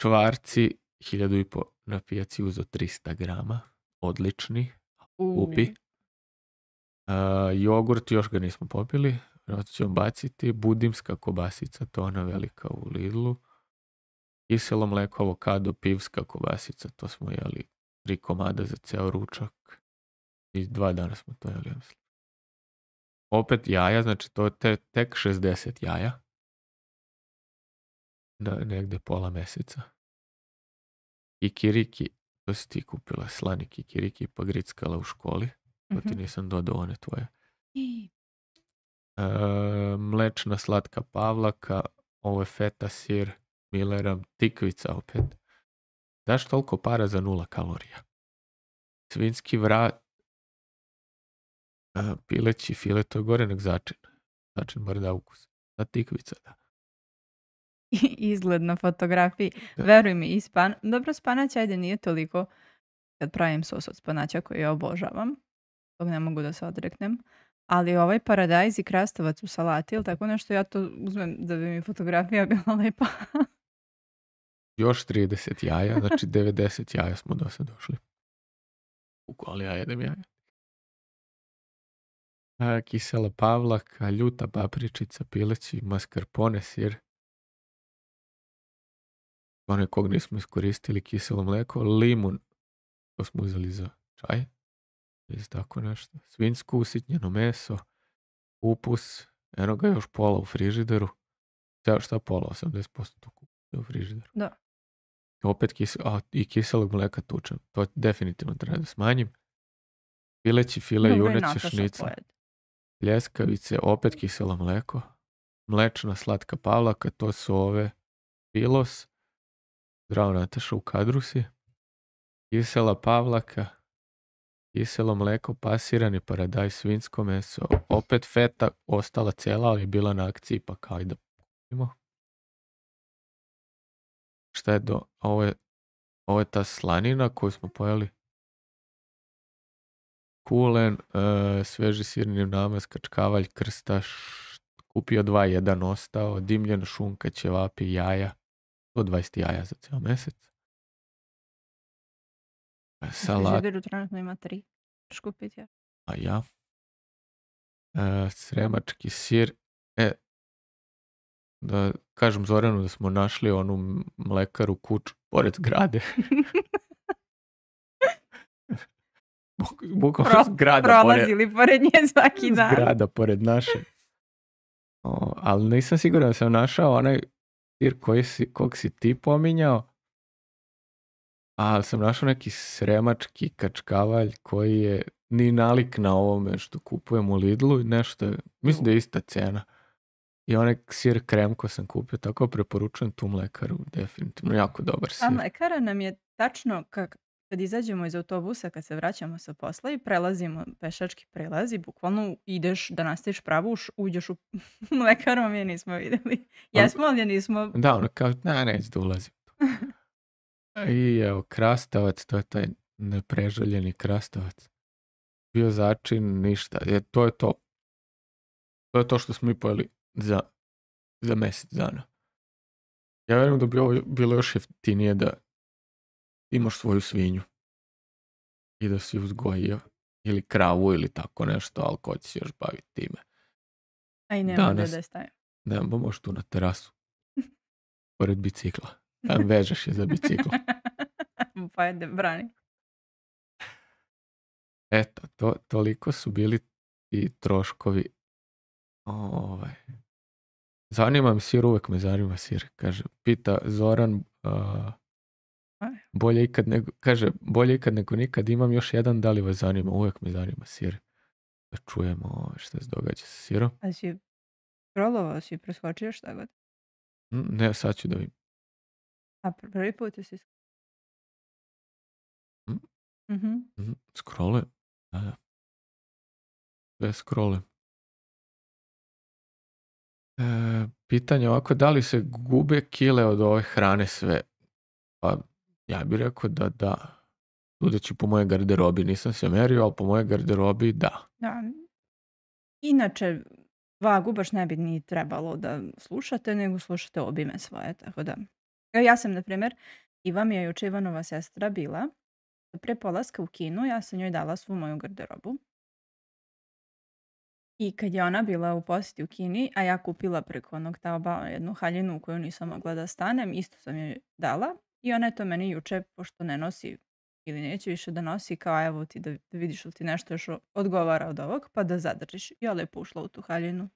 Čvarci 1500 na pijaci uzeo 300 grama. Odlični. Kupi. Jogurt još ga nismo popili. Vjerojatno ćemo baciti. Budimska kobasica, to ona velika u Lidlu. Kiselo mleko, avokado, pivska kobasica, to smo jeli 3 komada za ceo ručak. I 2 dana smo to jeli, ja mislim. Opet jaja, znači to je tek 60 jaja. Negde pola meseca. Kikiriki, to si ti kupila, slani kikiriki, pa grickala u školi. To ti nisam dodao one tvoje. Mlečna slatka pavlaka, ovo je feta sir, Milleram, tikvica opet. Daš toliko para za 0 kalorija. Svinjski vrat, pileći file, to je gore nek začin. Začin bar da ukus. Ta tikvica, da.
Izgled na fotografiji. Da. Veruj mi, dobro, spanać, ajde, nije toliko kad pravim sos od spanaća koji ja obožavam. Tog ne mogu da se odreknem. Ali ovaj paradajz i krastavac u salati, ili tako nešto, ja to uzmem da bi mi fotografija bila lepa.
Još 30 jaja, znači 90 jaja smo do sad došli. Ali ja jedem jaja. Kisela pavlaka, ljuta papričica, pileći, mascarpone, sir. One kog nismo iskoristili, kiselo mleko, limun, to smo uzeli za čaj. Ili tako nešto. Svinjsko usitnjeno meso, kupus, eno ga još pola u frižideru. Šta pola? 80% to kupus u frižideru.
Da.
Opet i kiselog mleka tučem. To definitivno treba da smanjim. Pileći file, juneće, šnica. Pljeskavice, opet kiselo mleko. Mlečna slatka pavlaka, to su ove pilos. Zdravo Nataša, u kadru si. Kisela pavlaka. Kiselo mleko, pasirani paradajz, svinjsko meso. Opet feta, ostala cijela, ali je bila na akciji, pa kao i da kupimo. Šta je ovo je ta slanina koju smo pojeli. Kulen, sveži sirni namaz, kačkavalj, krstaš, kupio 2, 1 ostao, dimljena šunka, ćevapi, jaja, 120 jaja za cijel mjesec. Salat.
Živiru trenutno ima 3. Škupiti ja.
A ja. Sremački sir. Da kažem Zoranu da smo našli onu mlekaru kuću pored zgrade. Bukvalno zgrada
prolazili pored nje svaki dan.
Zgrada pored naše. Ali nisam siguran da sam našao onaj sir kog si ti pominjao. Ali sam našao neki sremački kačkavalj koji je ni nalik na ovome što kupujem u Lidlu i nešto je, mislim da je ista cena. I onaj sir krem ko sam kupio, tako preporučujem tu mlekaru, definitivno jako dobar sir.
A mlekara nam je tačno kad izađemo iz autobusa, kad se vraćamo sa posla i prelazimo pešački prelaz i bukvalno ideš da nastaviš pravo, uđeš u mlekaru, mi je nismo vidjeli. Jesmo, ali je nismo...
Da, ono kao, neću da ulazim. I evo, krastavac, to je taj nepreželjeni krastavac. Bio začin, ništa. To je to. To je to što smo mi pojeli za mjesec dana. Ja vjerujem da bi ovo bilo još jeftinije da imaš svoju svinju. i da si uzgojio ili kravu ili tako nešto, ali ko će se još baviti time.
A i nema gde da stavim.
Nema, pa možeš tu na terasu. Pored bicikla. Tam vežeš je za bicikla.
Pa ajde, brani.
Eto, toliko su bili i troškovi. Zanima me sir, uvek me zanima sir. Kaže, pita Zoran, bolje ikad nego nikad, imam još jedan, da li vas zanima? Uvek me zanima sir. Da čujemo što se događa sa sirom.
A si scrollovao, si preskočio šta god?
Ne, sad ću da vidim.
A prvi put si
Scrollujem. Da. Sve scrollujem. Pitanje ovako, da li se gube kile od ove hrane sve? Pa ja bih rekao da. Sudeći po moje garderobi, nisam se merio, ali po moje garderobi da.
Inače, vagu baš ne bi ni trebalo da slušate, nego slušate obime svoje, tako da. Ja sam, na primjer, Iva mi je juče Ivanova sestra bila, pre polaska u kinu, ja sam njoj dala svu moju garderobu. I kad je ona bila u posjeti u Kini, a ja kupila preko onog Taobao jednu haljinu u koju nisam mogla da stanem, isto sam joj dala. I ona je to meni juče, pošto ne nosi ili neće više da nosi, kao evo ti da vidiš li ti nešto još odgovara od ovog, pa da zadržiš. I ja lepo ušla u tu haljinu.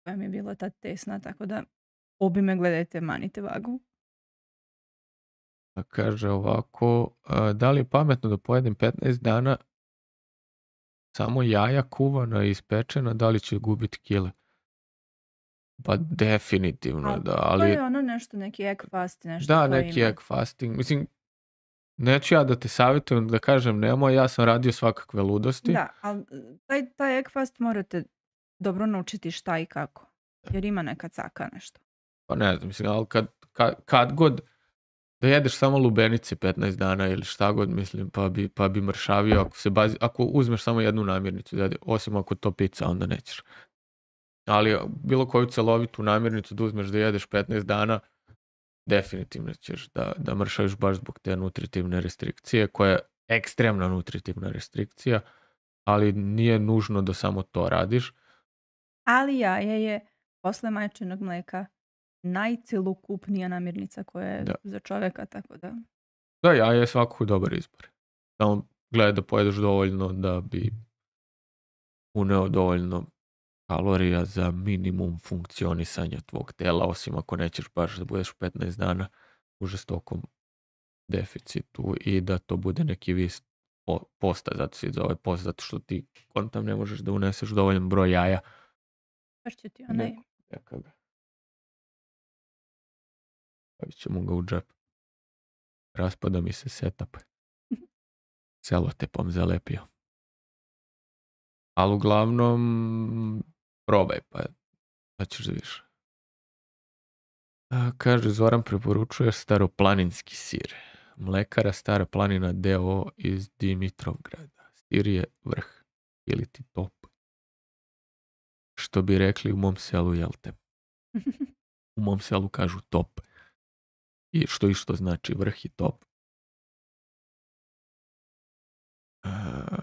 Koja mi je bila tad tesna, tako da obime gledajte, manite vagu.
Kaže ovako, da li je pametno da pojedem 15 dana samo jaja kuvana i ispečena, da li će gubiti kile? Pa definitivno da, ali...
To je ono nešto, neki egg fast, nešto
da, neki egg fasting. Mislim, neću ja da te savjetujem da kažem nemoj, ja sam radio svakakve ludosti.
Da, ali taj egg fast morate dobro naučiti šta i kako. Jer ima neka caka nešto.
Pa ne znam, mislim, ali kad god da jedeš samo lubenice 15 dana ili šta god, mislim, pa bi mršavio ako uzmeš samo jednu namirnicu, osim ako to pizza, onda nećeš. Ali bilo koju celovitu namirnicu da uzmeš da jedeš 15 dana, definitivno ćeš da mršaviš baš zbog te nutritivne restrikcije, koja je ekstremna nutritivna restrikcija, ali nije nužno da samo to radiš.
Ali jaje je posle majčinog mleka najcelokupnija namirnica koja je za čovjeka, tako da...
Da, jaje je svakako dobar izbor. Samo gledaj da pojedeš dovoljno da bi uneo dovoljno kalorija za minimum funkcionisanja tvog tela, osim ako nećeš baš da budeš 15 dana u žestokom deficitu i da to bude neki vis posta, zato se zove post, zato što ti kontam ne možeš da uneseš dovoljan broj jaja.
Baš ću ti onaj...
Stavit ćemo ga u džep. Raspada mi se setup. Celotepom zalepio. Ali uglavnom probaj, pa ćeš da vidiš. Kaže, Zoran preporučuje staroplaninski sir. Mlekara Stara planina d.o.o. iz Dimitrovgrada. Sir je vrh ili ti top. Što bi rekli u mom selu, jel te? U mom selu kažu top. I što znači vrh i top.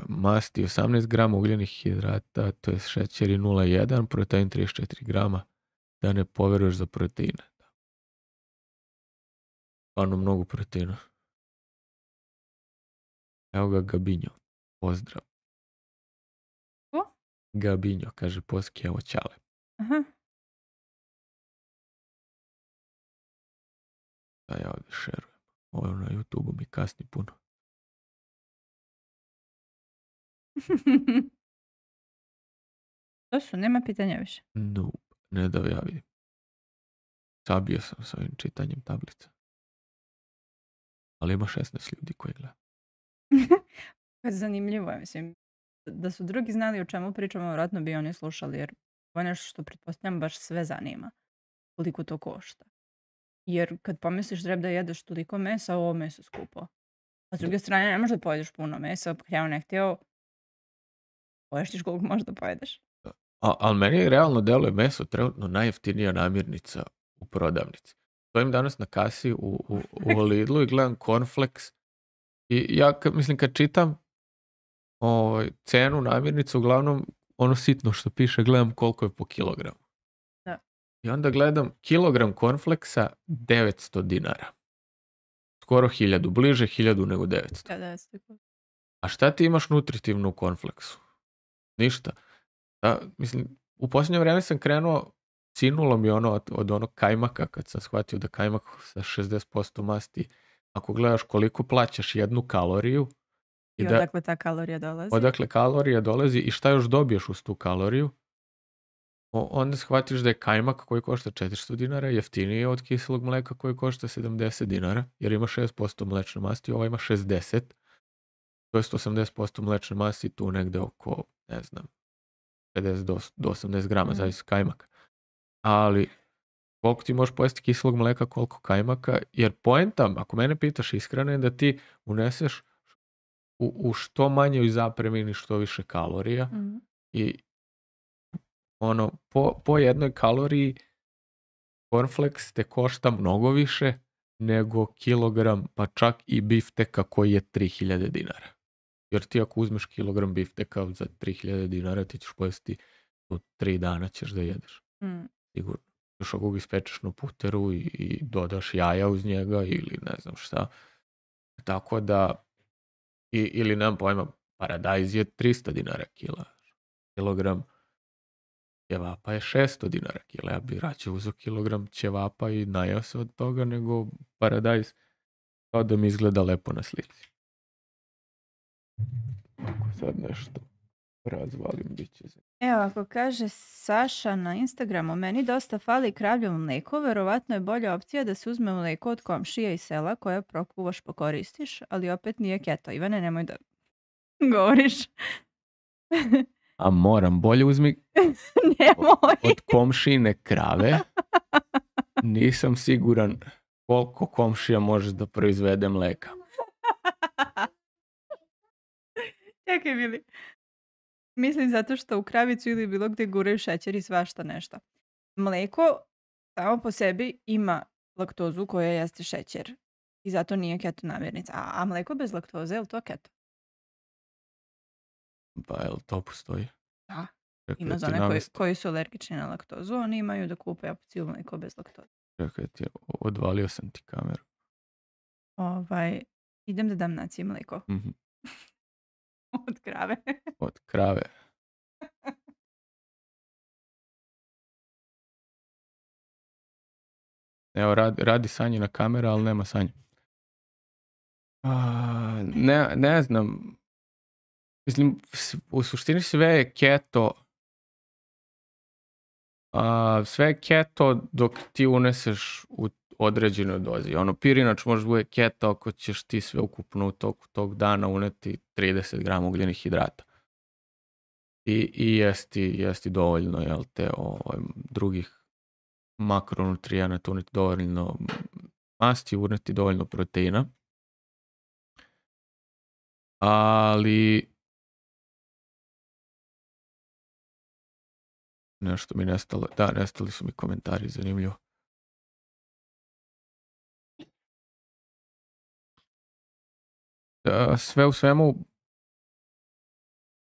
Masti 18 grama ugljenih hidrata, to je šećeri 0,1, protein 34 grama, da ne poveruješ za proteine. Stvarno mnogo proteina. Evo ga Gabinjo, pozdrav.
Ko?
Gabinjo, kaže Poski, evo Ćale.
Aha.
Da ja ovdje šerujem. Ovo na YouTube-u mi kasni puno.
To su, nema pitanja više.
Nope, ne da ja vidim. Sabio sam s ovim čitanjem tablica. Ali ima 16 ljudi koji gleda.
Zanimljivo je, mislim. Da su drugi znali o čemu pričamo, vjerojatno bi oni slušali, jer to je nešto što pretpostavljam baš sve zanima. Koliko to košta. Jer kad pomisliš treba da jedeš toliko mesa, ovo meso skupo. A s druge strane, ne možeš da pojedeš puno mesa, htjeo ne htjeo, poještiš koliko možeš da pojedeš.
Ali meni realno deluje meso trenutno najjeftinija namirnica u prodavnici. Stojim danas na kasi u Lidlu i gledam cornflakes I ja kad čitam cenu namirnicu, uglavnom ono sitno što piše, gledam koliko je po kilogramu.
Da.
I onda gledam kilogram cornflakesa 900 dinara. Skoro 1000, bliže 1000 nego 900.
Da, 900.
A šta ti imaš nutritivno u cornflakesu? Ništa. U posljednje vrijeme sam krenuo, cinulo mi ono od onog kajmaka, kad sam shvatio da kajmak sa 60% masti, ako gledaš koliko plaćaš jednu kaloriju,
i odakle ta kalorija dolazi.
Odakle kalorija dolazi i šta još dobiješ uz tu kaloriju, onda shvatiš da je kajmak koji košta 400 dinara jeftiniji od kiselog mleka koji košta 70 dinara, jer ima 6% mlečne masti, ovaj ima 60, to je 80% mlečne masti, tu negde oko, ne znam, 50 do 80 grama, zavisi kajmaka. Ali koliko ti možeš pojesti kiselog mleka, koliko kajmaka, jer poenta, ako mene pitaš iskreno, je da ti uneseš u što manjoj zapremini što više kalorija i ono, po jednoj kaloriji cornflakes te košta mnogo više nego kilogram, pa čak i bifteka koji je 3000 dinara. Jer ti ako uzmeš kilogram bifteka za 3000 dinara, ti ćeš pojesti u 3 dana ćeš da jedeš. Sigurno. Još ako ga ispečeš na puteru i dodaš jaja uz njega ili ne znam šta. Tako da, ili nemam pojma, paradajz je 300 dinara kilogram. Ćevapa je 600 dinara kila. Ja bi rađe uzeo kilogram ćevapa i najao se od toga nego paradajz, kao da mi izgleda lepo na slici. Ako sad nešto razvalim, bit će za...
Evo, ako kaže Saša na Instagramu, meni dosta fali kravljevo mlijeko, verovatno je bolja opcija da se uzme mlijeko od komšija i sela koje prokuvaš pokoristiš, ali opet nije keto. Ivane, nemoj da govoriš.
A moram, bolje uzmi od komšine krave. Nisam siguran koliko komšija može da proizvede mleka.
Čekaj, Bili. Mislim zato što u kravicu ili bilo gdje guraju šećer i svašta nešto. Mleko samo po sebi ima laktozu koja jeste šećer. I zato nije keto namirnica. A mleko bez laktoze, je li to keto?
Pa jel to postoji?
Da. Ima za one koji su alergični na laktozu, oni imaju da kupe opciju mleko bez laktoze.
Čekaj, odvalio sam ti kameru.
Idem da dam naciji mleko. Od krave.
Od krave. Evo, radi Sanjina kamera, ali nema Sanje. Ne znam. Mislim, u suštini sve je keto. Sve je keto dok ti uneseš u određenoj dozi. Ono, pirinač može bude keto ako ćeš ti sve ukupno u toku tog dana uneti 30 grama ugljenih hidrata. I jesti dovoljno, jel te, drugih makronutrijenata, uneti dovoljno masti, uneti dovoljno proteina. Ali nešto mi nestalo. Da, nestali su mi komentari, zanimljivo. Sve u svemu,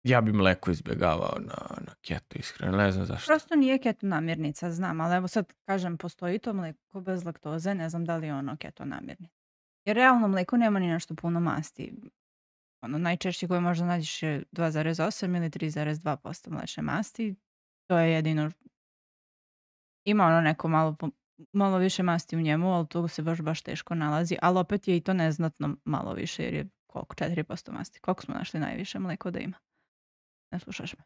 ja bi mleko izbjegavao na keto, iskreno, ne znam zašto.
Prosto nije keto namirnica, znam, ali evo sad kažem, postoji to mleko bez laktoze, ne znam da li je ono keto namirnica. Jer realno mleko nema ni nešto puno masti. Ono, najčešće koje možda nađeš je 2,8 ili 3,2% mlečne masti. To je jedino, ima ono neko malo više masti u njemu, ali to se baš teško nalazi, ali opet je i to neznatno malo više, jer je koliko? 4% masti. Koliko smo našli najviše mleko da ima? Ne slušaš me?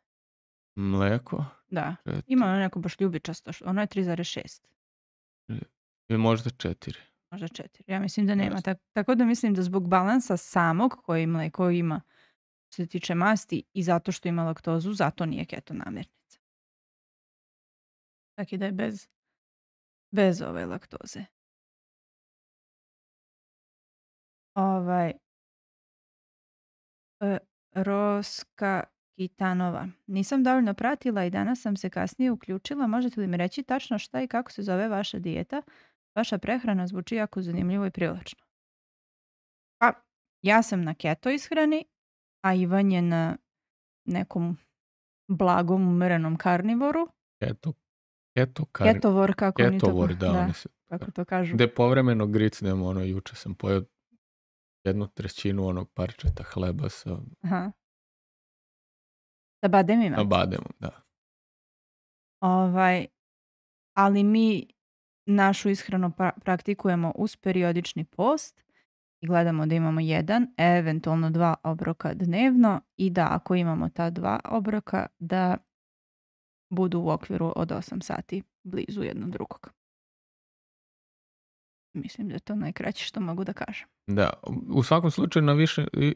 Mleko?
Da. Ima ono neko baš ljubičasto, ono je 3,6.
Ili možda 4.
Možda 4. Ja mislim da nema. Tako da mislim da zbog balansa samog koji mleko ima što se tiče masti i zato što ima laktozu, zato nije keto namirnica. Tako da je bez ove laktoze. Roska Kitanova. Nisam dovoljno pratila i danas sam se kasnije uključila. Možete li mi reći tačno šta i kako se zove vaša dijeta? Vaša prehrana zvuči jako zanimljivo i privlačno. Pa, Ja sam na keto ishrani, a Ivan je na nekom blagom umerenom karnivoru. Ketovor, kako oni to
Ketovor, da.
kako to kažu.
Gde povremeno gricnem, juče sam pojeo 1/3 onog parčeta hleba sa...
Aha. Sa bademima?
Sa bademom, da.
Ali mi našu ishranu praktikujemo uz periodični post i gledamo da imamo 1, eventualno 2 obroka dnevno i da ako imamo ta 2 obroka da budu u okviru od 8 sati blizu jednog drugog. Mislim da je to najkraće što mogu da kažem.
Da, u svakom slučaju na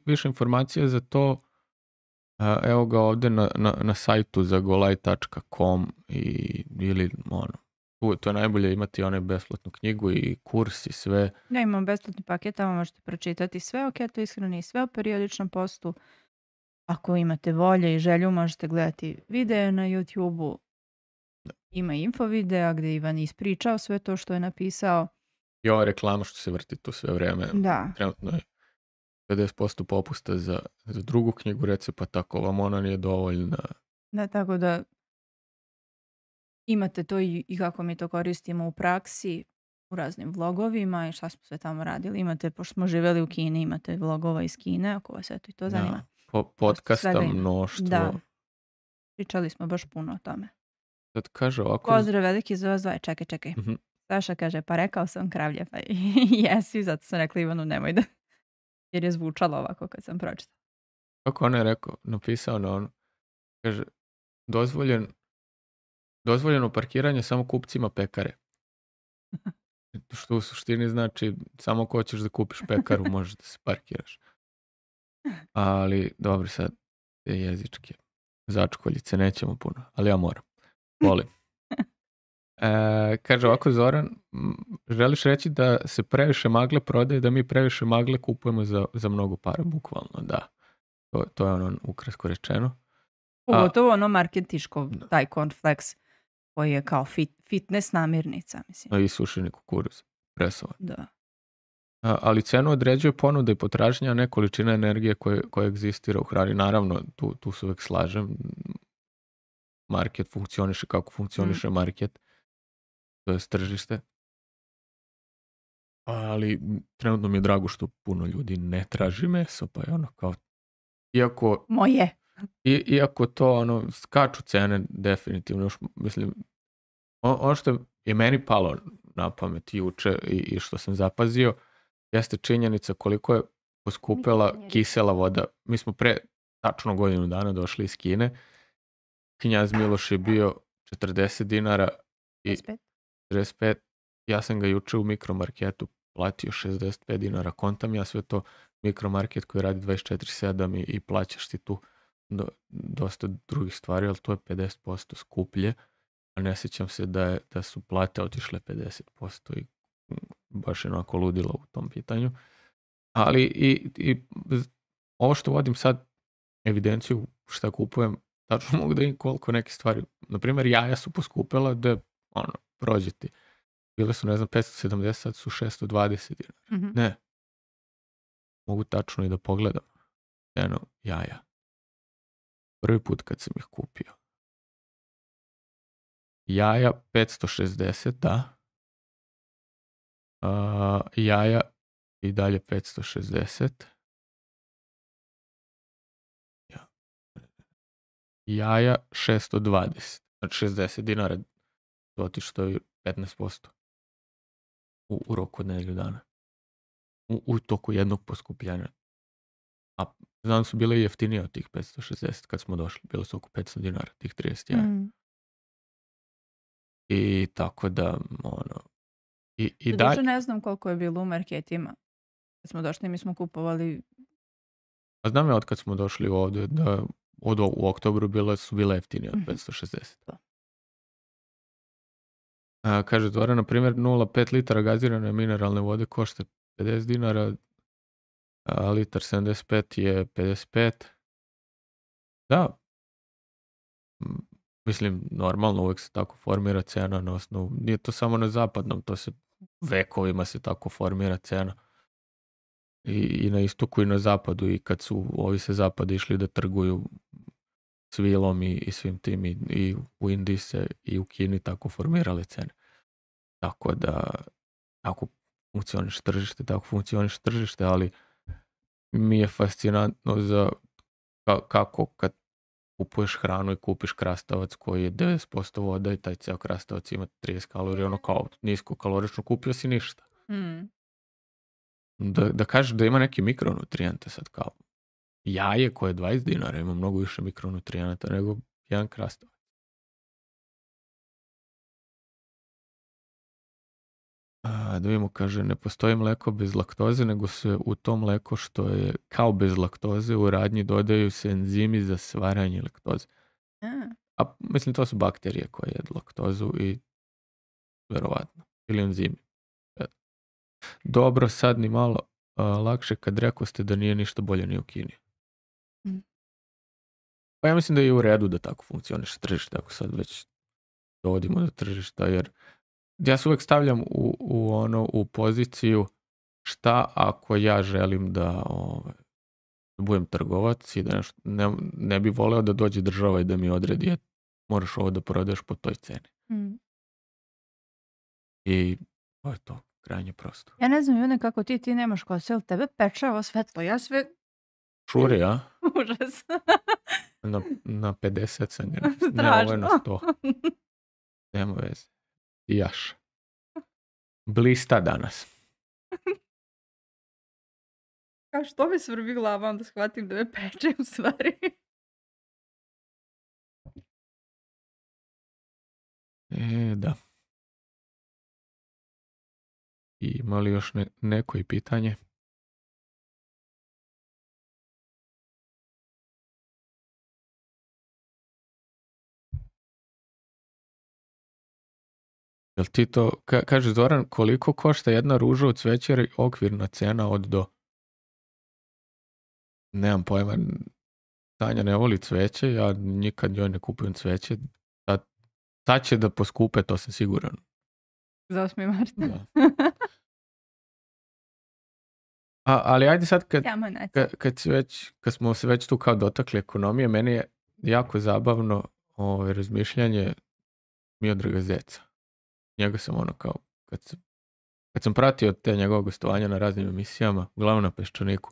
više informacija za to evo ga ovde na sajtu zagolaj.com ili to je najbolje imati onaj besplatnu knjigu i kurs i sve.
Ja imam besplatni paket, tamo možete pročitati sve o keto ishrani i sve o periodičnom postu. Ako imate volje i želju, možete gledati videe na YouTube-u. Ima info videa gdje Ivan ispričao sve to što je napisao.
I ova reklama što se vrti tu sve vreme.
Da.
Trenutno je 50% popusta za drugu knjigu recepata, ako vam ona nije dovoljna.
Da, tako da imate to i kako mi to koristimo u praksi, u raznim vlogovima i šta smo sve tamo radili. Imate, pošto smo živjeli u Kini, imate vlogova iz Kine, ako vas eto i to zanima.
Podcasta mnoštvo.
Da. Pričali smo baš puno o tome.
Sad kaže ovako...
Pozdrav veliki za vas dva. Čekaj.
Mm-hmm.
Saša kaže, pa rekao sam kravlje, pa jesi, zato sam rekla Ivanu nemoj da... Jer je zvučalo ovako kad sam pročitala.
Kako on je rekao, napisao na ono, kaže, dozvoljeno parkiranje samo kupcima pekare. Što u suštini znači, samo ako hoćeš da kupiš pekaru, možeš da se parkiraš. Ali, dobro, sad te jezičke začkoljice nećemo puno, ali ja moram. Volim. Kaže ovako Zoran, želiš reći da se previše magle prodaje, da mi previše magle kupujemo za mnogo para, bukvalno, da. To je ono ukratko rečeno.
Pogotovo ono marketiško, taj cornflakes koji je kao fitness namirnica, mislim.
I sušeni kukuruz, presovan.
Da.
Ali cenu određuje ponuda i potražnja, a ne količina energije koja egzistira u hrani. Naravno, tu se uvek slažem. Market funkcioniše kako funkcioniše market. To je tržište. Ali trenutno mi je drago što puno ljudi ne traži meso, pa je ono kao...
Moje.
Iako to, skaču cene definitivno. Mislim, ono što je meni palo na pamet juče i što sam zapazio, jeste činjenica koliko je poskupela kisela voda. Mi smo pre tačno godinu dana došli iz Kine. Knjaz Miloš je bio 40 dinara i 45. Ja sam ga juče u mikromarketu platio 65 dinara. Kontam ja sve to mikromarket koji radi 24/7 i plaćaš ti tu dosta drugih stvari, ali to je 50% skuplje. A ne sjećam se da su plate otišle 50% i baš je onako ludilo u tom pitanju. Ali i ovo što vodim sad evidenciju šta kupujem, tačno mogu da im koliko neke stvari. Naprimjer, jaja su poskupela da prođe ti. Bile su, 570, sad su 620 dinara.
Mm-hmm.
Ne. Mogu tačno i da pogledam. Jaja. Prvi put kad sam ih kupio. Jaja 560, da. Jaja i dalje 560. Jaja 620. Znači 60 dinara. To otišto je 15%. U roku od nedelju dana. U toku jednog poskupljenja. A znam su bile i jeftinije od tih 560 kad smo došli. Bilo su oko 500 dinara, tih 30 jaja. I tako da, I
dalje... ne znam koliko je bilo u marketima. Kad smo došli, mi smo kupovali...
A znam ja od kad smo došli ovdje da u oktobru su bile jeftinije od 560. Kaže Dora, na primjer, 0,5 litara gazirane mineralne vode košta 50 dinara, a litar 75 je 55. Da. Mislim, normalno uvijek se tako formira cena na osnovu. Nije to samo na zapadnom, to se vekovima se tako formira cena. i na istoku i na zapadu, i kad su ovi sa zapada išli da trguju s vilom i svim tim, i u Indiji se i u Kini tako formirale cene. Tako da ako funkcioniš tržište, tako funkcioniš tržište, ali mi je fascinantno za kako kad kupuješ hranu i kupiš krastavac koji je 90% voda i taj ceo krastavac ima 30 kalorija, ono kao nisko kalorično, kupio si ništa. Da kažeš da ima neki mikronutrijente sad, kao jaje koje je 20 dinara ima mnogo više mikronutrijenata nego jedan krastavac. Da vidimo, kaže, ne postoji mleko bez laktoze, nego se u to mleko što je kao bez laktoze u radnji dodaju se enzimi za stvaranje laktoze. A mislim, to su bakterije koje jedu laktozu i verovatno. Ili enzimi. Dobro, sad ni malo lakše kad rekao ste da nije ništa bolje ni u Kini. Pa ja mislim da je u redu da tako funkcioniše tržište, ako sad već dovodimo do tržišta, jer ja se uvek stavljam u poziciju šta ako ja želim da budem trgovac i da nešto, ne bi voleo da dođe država i da mi odredi moraš ovo da prodaješ po toj ceni. I to je to, krajnje prosto.
Ja ne znam, June, kako ti nemaš kose, ali tebe peče ovo svetlo, ja sve...
Šuri, a?
Užas.
Na 50 sam ga.
Strašno.
Ne, ovo je na 100. Nema veze. I jaš. Blista danas.
Kao što mi svrbi glava, onda shvatim da me peče u stvari.
Da. I ima li još neko i pitanje? Jel ti to, kaže Zoran, koliko košta jedna ruža od cveća, okvirna cena od do? Nemam pojma, Tanja ne voli cveće, ja nikad njoj ne kupujem cveće. Sad će da poskupe, to sam siguran.
Za 8. marta.
Da. Ali ajde sad kad smo se već tu kao dotakli ekonomije, meni je jako zabavno razmišljanje Miodraga Zeca. Njega sam ono kao, kad sam pratio te njegove gostovanja na raznim emisijama, uglavnom na Peščaniku,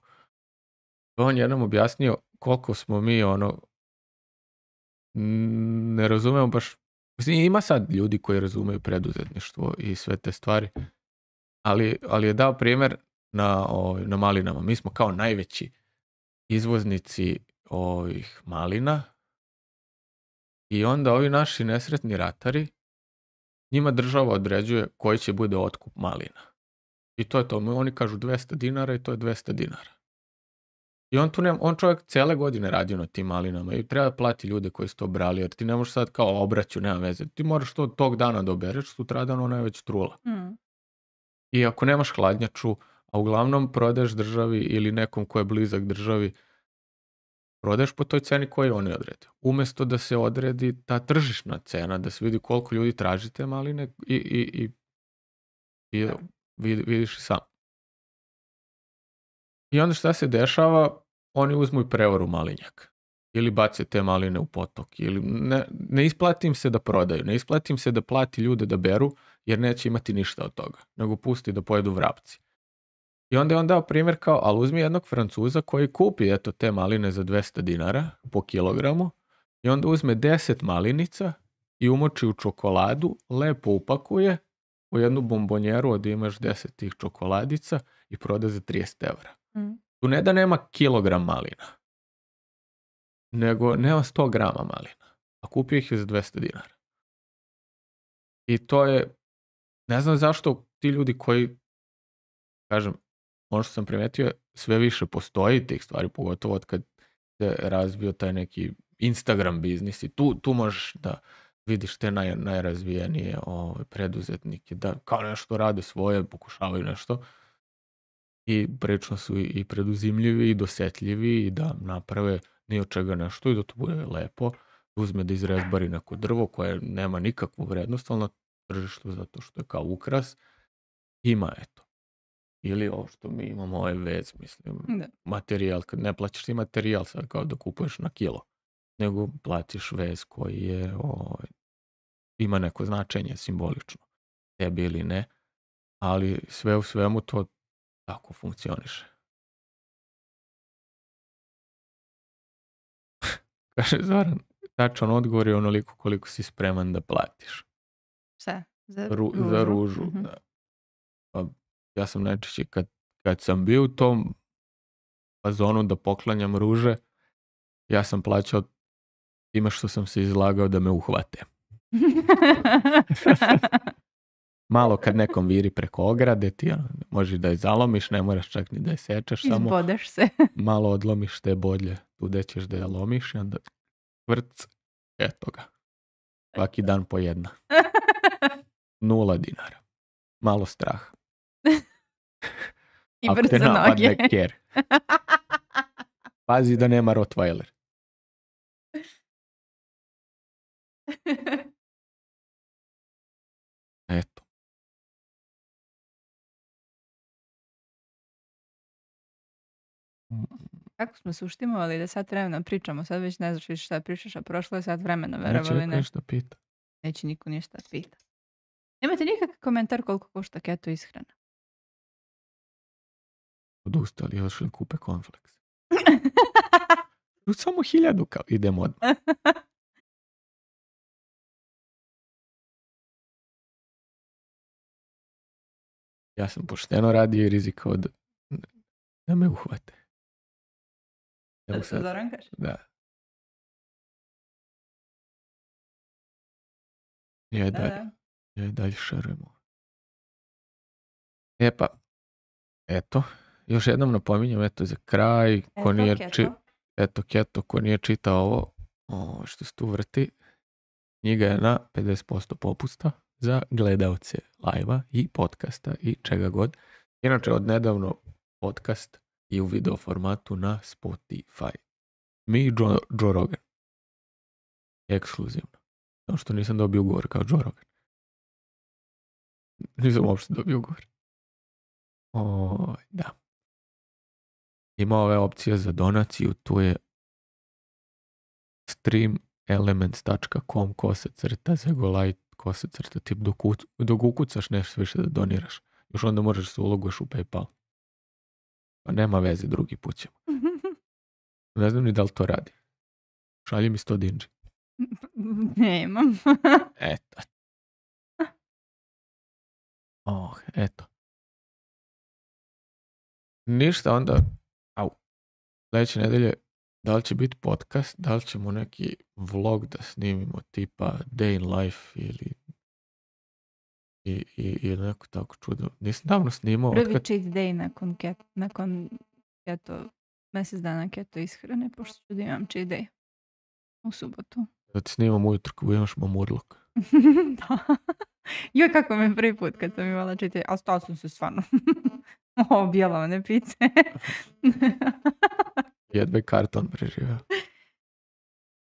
on je jednom objasnio koliko smo mi ne razumemo baš, mislim, ima sad ljudi koji razumeju preduzetništvo i sve te stvari, ali je dao primjer na malinama. Mi smo kao najveći izvoznici ovih malina i onda ovi naši nesretni ratari, njima država određuje koji će bude otkup malina. I to je to. Oni kažu 200 dinara i to je 200 dinara. I on čovjek cijele godine radio na tim malinama i treba plati ljude koji su to brali, jer ti ne možeš sad kao obraću, nema veze. Ti moraš to tog dana da obereš, sutradan ona je već trula. I ako nemaš hladnjaču, a uglavnom prodaješ državi ili nekom ko je blizak državi, prodaješ po toj ceni koju oni odrede. Umjesto da se odredi ta tržišna cena, da se vidi koliko ljudi traži te maline i vidiš i sam. I onda šta se dešava? Oni uzmu i prevaru malinjak. Ili bace te maline u potok. Ili ne isplati im se da prodaju. Ne isplati im se da plati ljude da beru, jer neće imati ništa od toga. Nego pusti da pojedu vrapci. I onda je on dao primjer kao, ali uzmi jednog Francuza koji kupi te maline za 200 dinara po kilogramu i onda uzme 10 malinica i umoči u čokoladu, lepo upakuje u jednu bombonjeru od imaš 10 tih čokoladica i proda za 30 evra. Tu ne da nema kilogram malina, nego nema 100 grama malina, a kupio ih je za 200 dinara. I to je, ne znam zašto ti ljudi koji, kažem, ono što sam primetio, sve više postoji tih stvari, pogotovo od kad se razvio taj neki Instagram biznis i tu možeš da vidiš te najrazvijenije preduzetnike, da kao nešto rade svoje, pokušavaju nešto i prilično su i preduzimljivi i dosetljivi i da naprave ni od čega nešto i da to bude lepo, uzme da izrezbari neko drvo koje nema nikakvu vrednost, ali na tržištu zato što je kao ukras, ima eto. Ili ovo što mi imamo, ovaj vez, mislim,
Da.
materijal, kad ne plaćaš ti materijal sad kao da kupuješ na kilo, nego platiš vez koji je, ima neko značenje simbolično, tebi ili ne, ali sve u svemu to tako funkcioniše. Kaže Zoran, tačan odgovor je onoliko koliko si spreman da platiš.
Šta? Za
ružu, da. Pa, ja sam najčešće kad sam bio u tom fazonu da poklanjam ruže, ja sam plaćao time što sam se izlagao da me uhvate. Malo kad nekom viri preko ograde, ti možeš da je zalomiš, ne moraš čak ni da je sečeš, samo
izbodeš se.
malo odlomiš te bodlje, tu gde ćeš da je lomiš i onda vrc, eto ga. Svaki dan po jedna. 0 dinara. Malo straha.
I brzo noge.
Ker. Pazi da nema Rottweiler. Eto.
Kako smo se uštimovali da sat vremena pričamo, sad već ne znaš više šta pričaš, a prošlo je sat vremena, verovali ne.
Neće ništa pita.
Neće niko ništa pita. Nemate nikakav komentar koliko košta keto ishrana?
Odustali, još li kupe Cornflakes. Samo 1000 kao, idemo odmah. Ja sam pošteno radio i rizikao da me uhvate.
Da se Zoran kaže?
Da. Ja dalje šarujemo. E pa, eto, još jednom napominjem, eto za kraj, ko nije čitao ovo što se tu vrti, knjiga je na 50% popusta za gledalce live-a i podcasta i čega god. Inače, od nedavno podcast i u video formatu na Spotify. Mi i Joe Rogan. Ekskluzivno. Samo što nisam dobio ugovor kao Joe Rogan. Nisam uopšte dobio ugovor. Da. Ima ove opcije za donaciju, tu je streamelements.com /Zegolite /tip dok ukucaš nešto više da doniraš. Još onda možeš se uloguješ u PayPal. Pa nema veze, drugi put ćemo. Ne znam ni da li to radi. Šalji mi 100 dinđi.
Nemam.
Eto. Eto. Ništa, onda sljedeće nedelje da li će biti podcast, da li ćemo neki vlog da snimimo tipa Day in Life ili neko tako čudo. Nisam davno snimao.
Prvi cheat day nakon mjesec dana keto ishrane, pošto ću da imam cheat day u subotu.
Da ti snimam ujutro kako imaš mamurluk.
Da. Joj, kako me prvi put kad sam imala cheat day, ali stala sam se stvarno objela one pice.
Jedve karton preživao.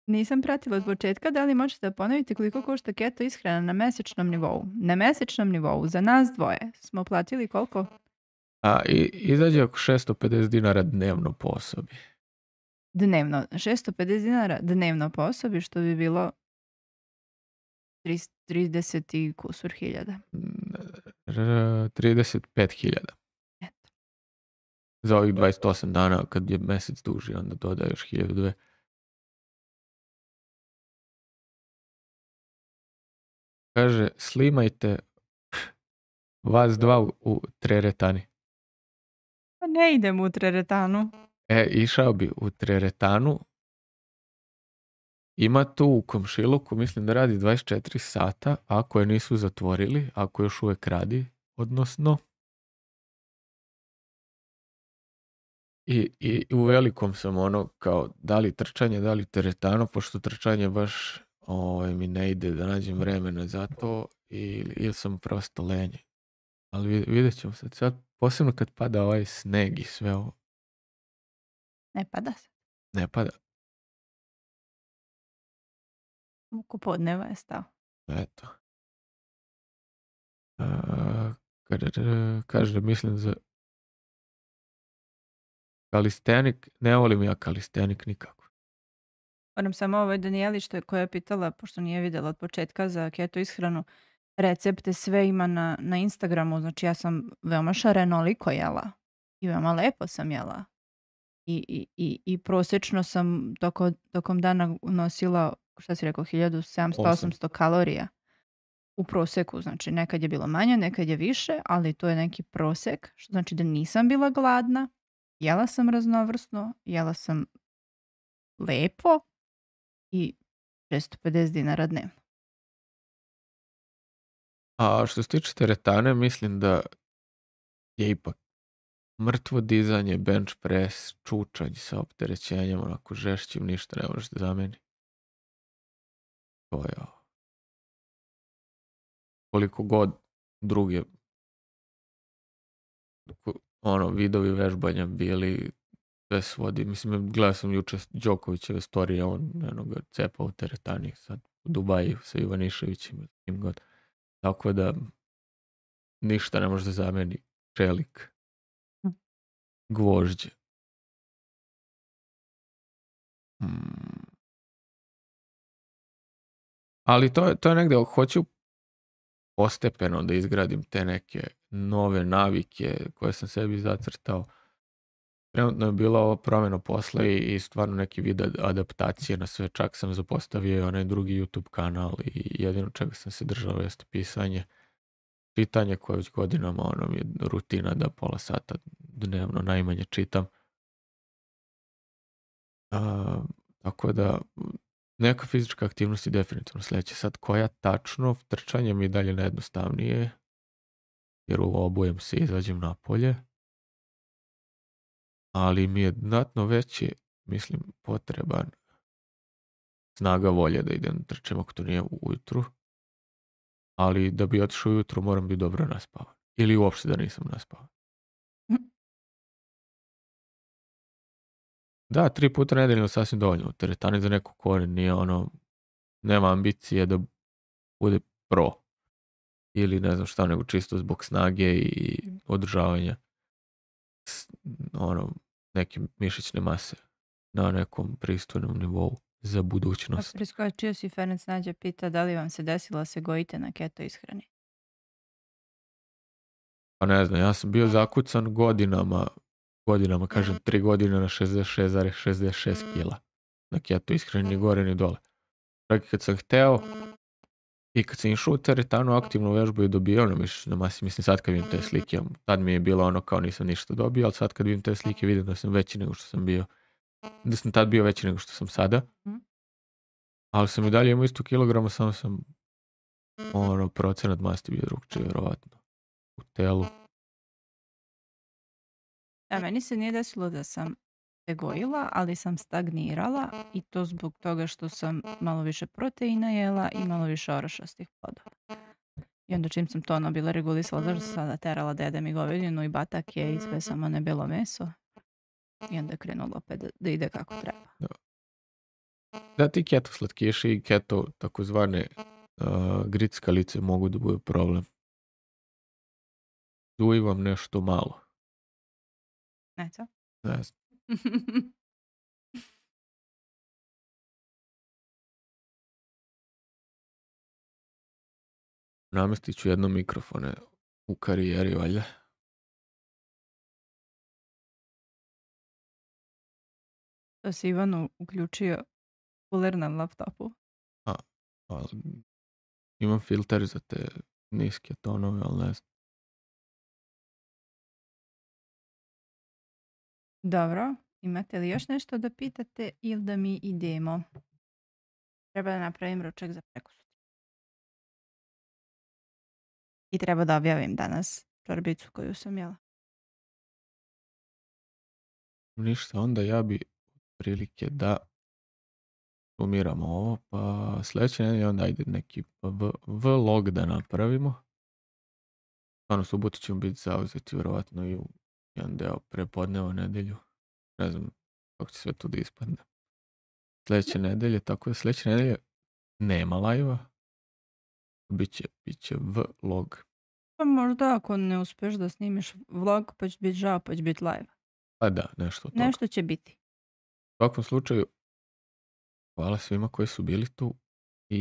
Nisam pratila od početka, da li možete da ponovite koliko košta keto ishrana na mesečnom nivou? Na mesečnom nivou, za nas dvoje, smo platili koliko?
Izađe oko 650 dinara dnevno po osobi.
Dnevno, 650 dinara dnevno po osobi, što bi bilo 30 i kusur hiljada.
35.000.
Eto.
Za ovih 28 dana, kad je mesec duži, onda dodaje još 1.002. Kaže, slimajte vas dva u teretani.
Pa ne idem u teretanu.
Išao bi u teretanu. Ima tu u komšiluku, mislim da radi 24 sata, ako je nisu zatvorili, ako još uvijek radi, odnosno. I u velikom sam kao, da li trčanje, da li teretano, pošto trčanje baš mi ne ide da nađem vremena za to, ili sam prosto lenji. Ali vidjet ćemo sad, posebno kad pada ovaj sneg i sve ovo.
Ne pada se.
Ne pada.
Oko podneva je stao.
Eto. Kaže, mislim Kalistenik, ne volim ja kalistenik nikako.
Moram samo ovoj Danijeli koja je pitala, pošto nije vidjela od početka za keto ishranu, recepte sve ima na Instagramu, znači ja sam veoma šarenoliko jela i veoma lepo sam jela. I prosječno sam tokom dana nosila, šta si rekao, 1700-800 kalorija u proseku. Znači nekad je bilo manje, nekad je više, ali to je neki prosek, što znači da nisam bila gladna, jela sam raznovrsno, jela sam lepo i 650 dinara dnevno.
A što se tiče teretane, mislim da je ipak mrtvo dizanje, bench press, čučanj sa opterećenjem, onako žešćim, ništa ne možeš da zameni. To je koliko god druge vidovi vežbanja bili, sve svodi. Mislim, gledao sam juče Đokovićeve storije, on ga cepao u teretani sad u Dubaji sa Ivaniševićem, kim god. Tako da ništa ne može da zameni čelik, gvožđe. Ali to je negde, hoću postepeno da izgradim te neke nove navike koje sam sebi zacrtao. Trenutno je bila ova promjena posla i stvarno neki vid adaptacije na sve. Čak sam zapostavio onaj drugi YouTube kanal i jedino čega sam se držao jeste pisanje. Čitanje koje već godinama mi je rutina da pola sata dnevno najmanje čitam. Tako da neka fizička aktivnost je definitivno sljedeća. Sad koja tačno, trčanje mi je dalje najjednostavnije jer obujem se i izađem napolje. Ali mi je znatno veći, mislim, potreban snaga volje da idem trčem ako to nije ujutru. Ali da bi otišao ujutru moram biti dobro naspavan. Ili uopšte da nisam naspavan. Da, 3 puta nedeljno sasvim dovoljno. U teretani za neko ko nije nema ambicije da bude pro. Ili ne znam šta, nego čisto zbog snage i održavanja neke mišićne mase na nekom pristojnom nivou za budućnost.
Priskočio si, Ferenc Nađa pita da li vam se desilo se gojite na keto ishrani?
Pa ne znam, ja sam bio zakucan godinama, kažem 3 godine na 66,66 kila. Na keto ishrani ni gore ni dole. Čak i kad sam hteo i kad sam išao u teretanu aktivnu vežbu i dobio na mišićnoj masi, mislim sad kad vidim te slike, tad mi je bilo kao nisam ništa dobio, ali sad kad vidim te slike vidim da sam veći nego što sam bio. Da sam tad bio veći nego što sam sada. Ali sam i dalje imao isto kilograma, samo sam procenat masti bio drugčije, vjerovatno. U telu.
Meni se nije desilo da sam se gojila, ali sam stagnirala i to zbog toga što sam malo više proteina jela i malo više orašastih plodova. I onda čim sam to bila regulisala, zašto sam sada terala dede mi govedinu i batake i sve samo ne bilo meso. I onda je krenulo opet da ide kako treba.
Da, ti keto slatkiši i keto takozvane grickalice mogu da budu problem. Duji vam nešto malo.
Neco?
Ne znam. Namestit ću jedno mikrofone u karijeri, valjda.
To si Ivanu uključio kuler na laptopu.
Imam filter za te niske tonove, ali ne znam.
Dobro, imate li još nešto da pitate ili da mi idemo? Treba da napravim ručak za prekosutra. I treba da objavim danas čorbicu koju sam jela.
Ništa, onda ja bi prilike da sumiramo ovo, pa sljedeće nedelje onda ajde neki vlog da napravimo. Stvarno, subotu ćemo biti zauzeti vjerovatno i u jedan deo prepodneva nedelju. Ne znam kako će sve tu da ispadne. Sljedeće nedelje, tako da sljedeće nedelje nema live-a. Biće vlog.
Pa možda ako ne uspeš da snimiš vlog, pa će biti žao, pa će biti live.
Pa da, nešto od toga.
Nešto će biti.
U svakom slučaju, hvala svima koji su bili tu i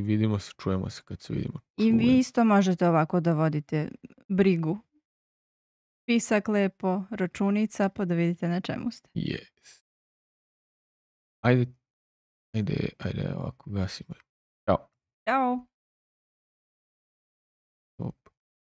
vidimo se, čujemo se kad se vidimo.
I vi isto možete ovako da vodite brigu. Pisak lepo, računica, pa da vidite na čemu ste.
Yes. Ajde, ovako gasimo. Ćao.
Ćao.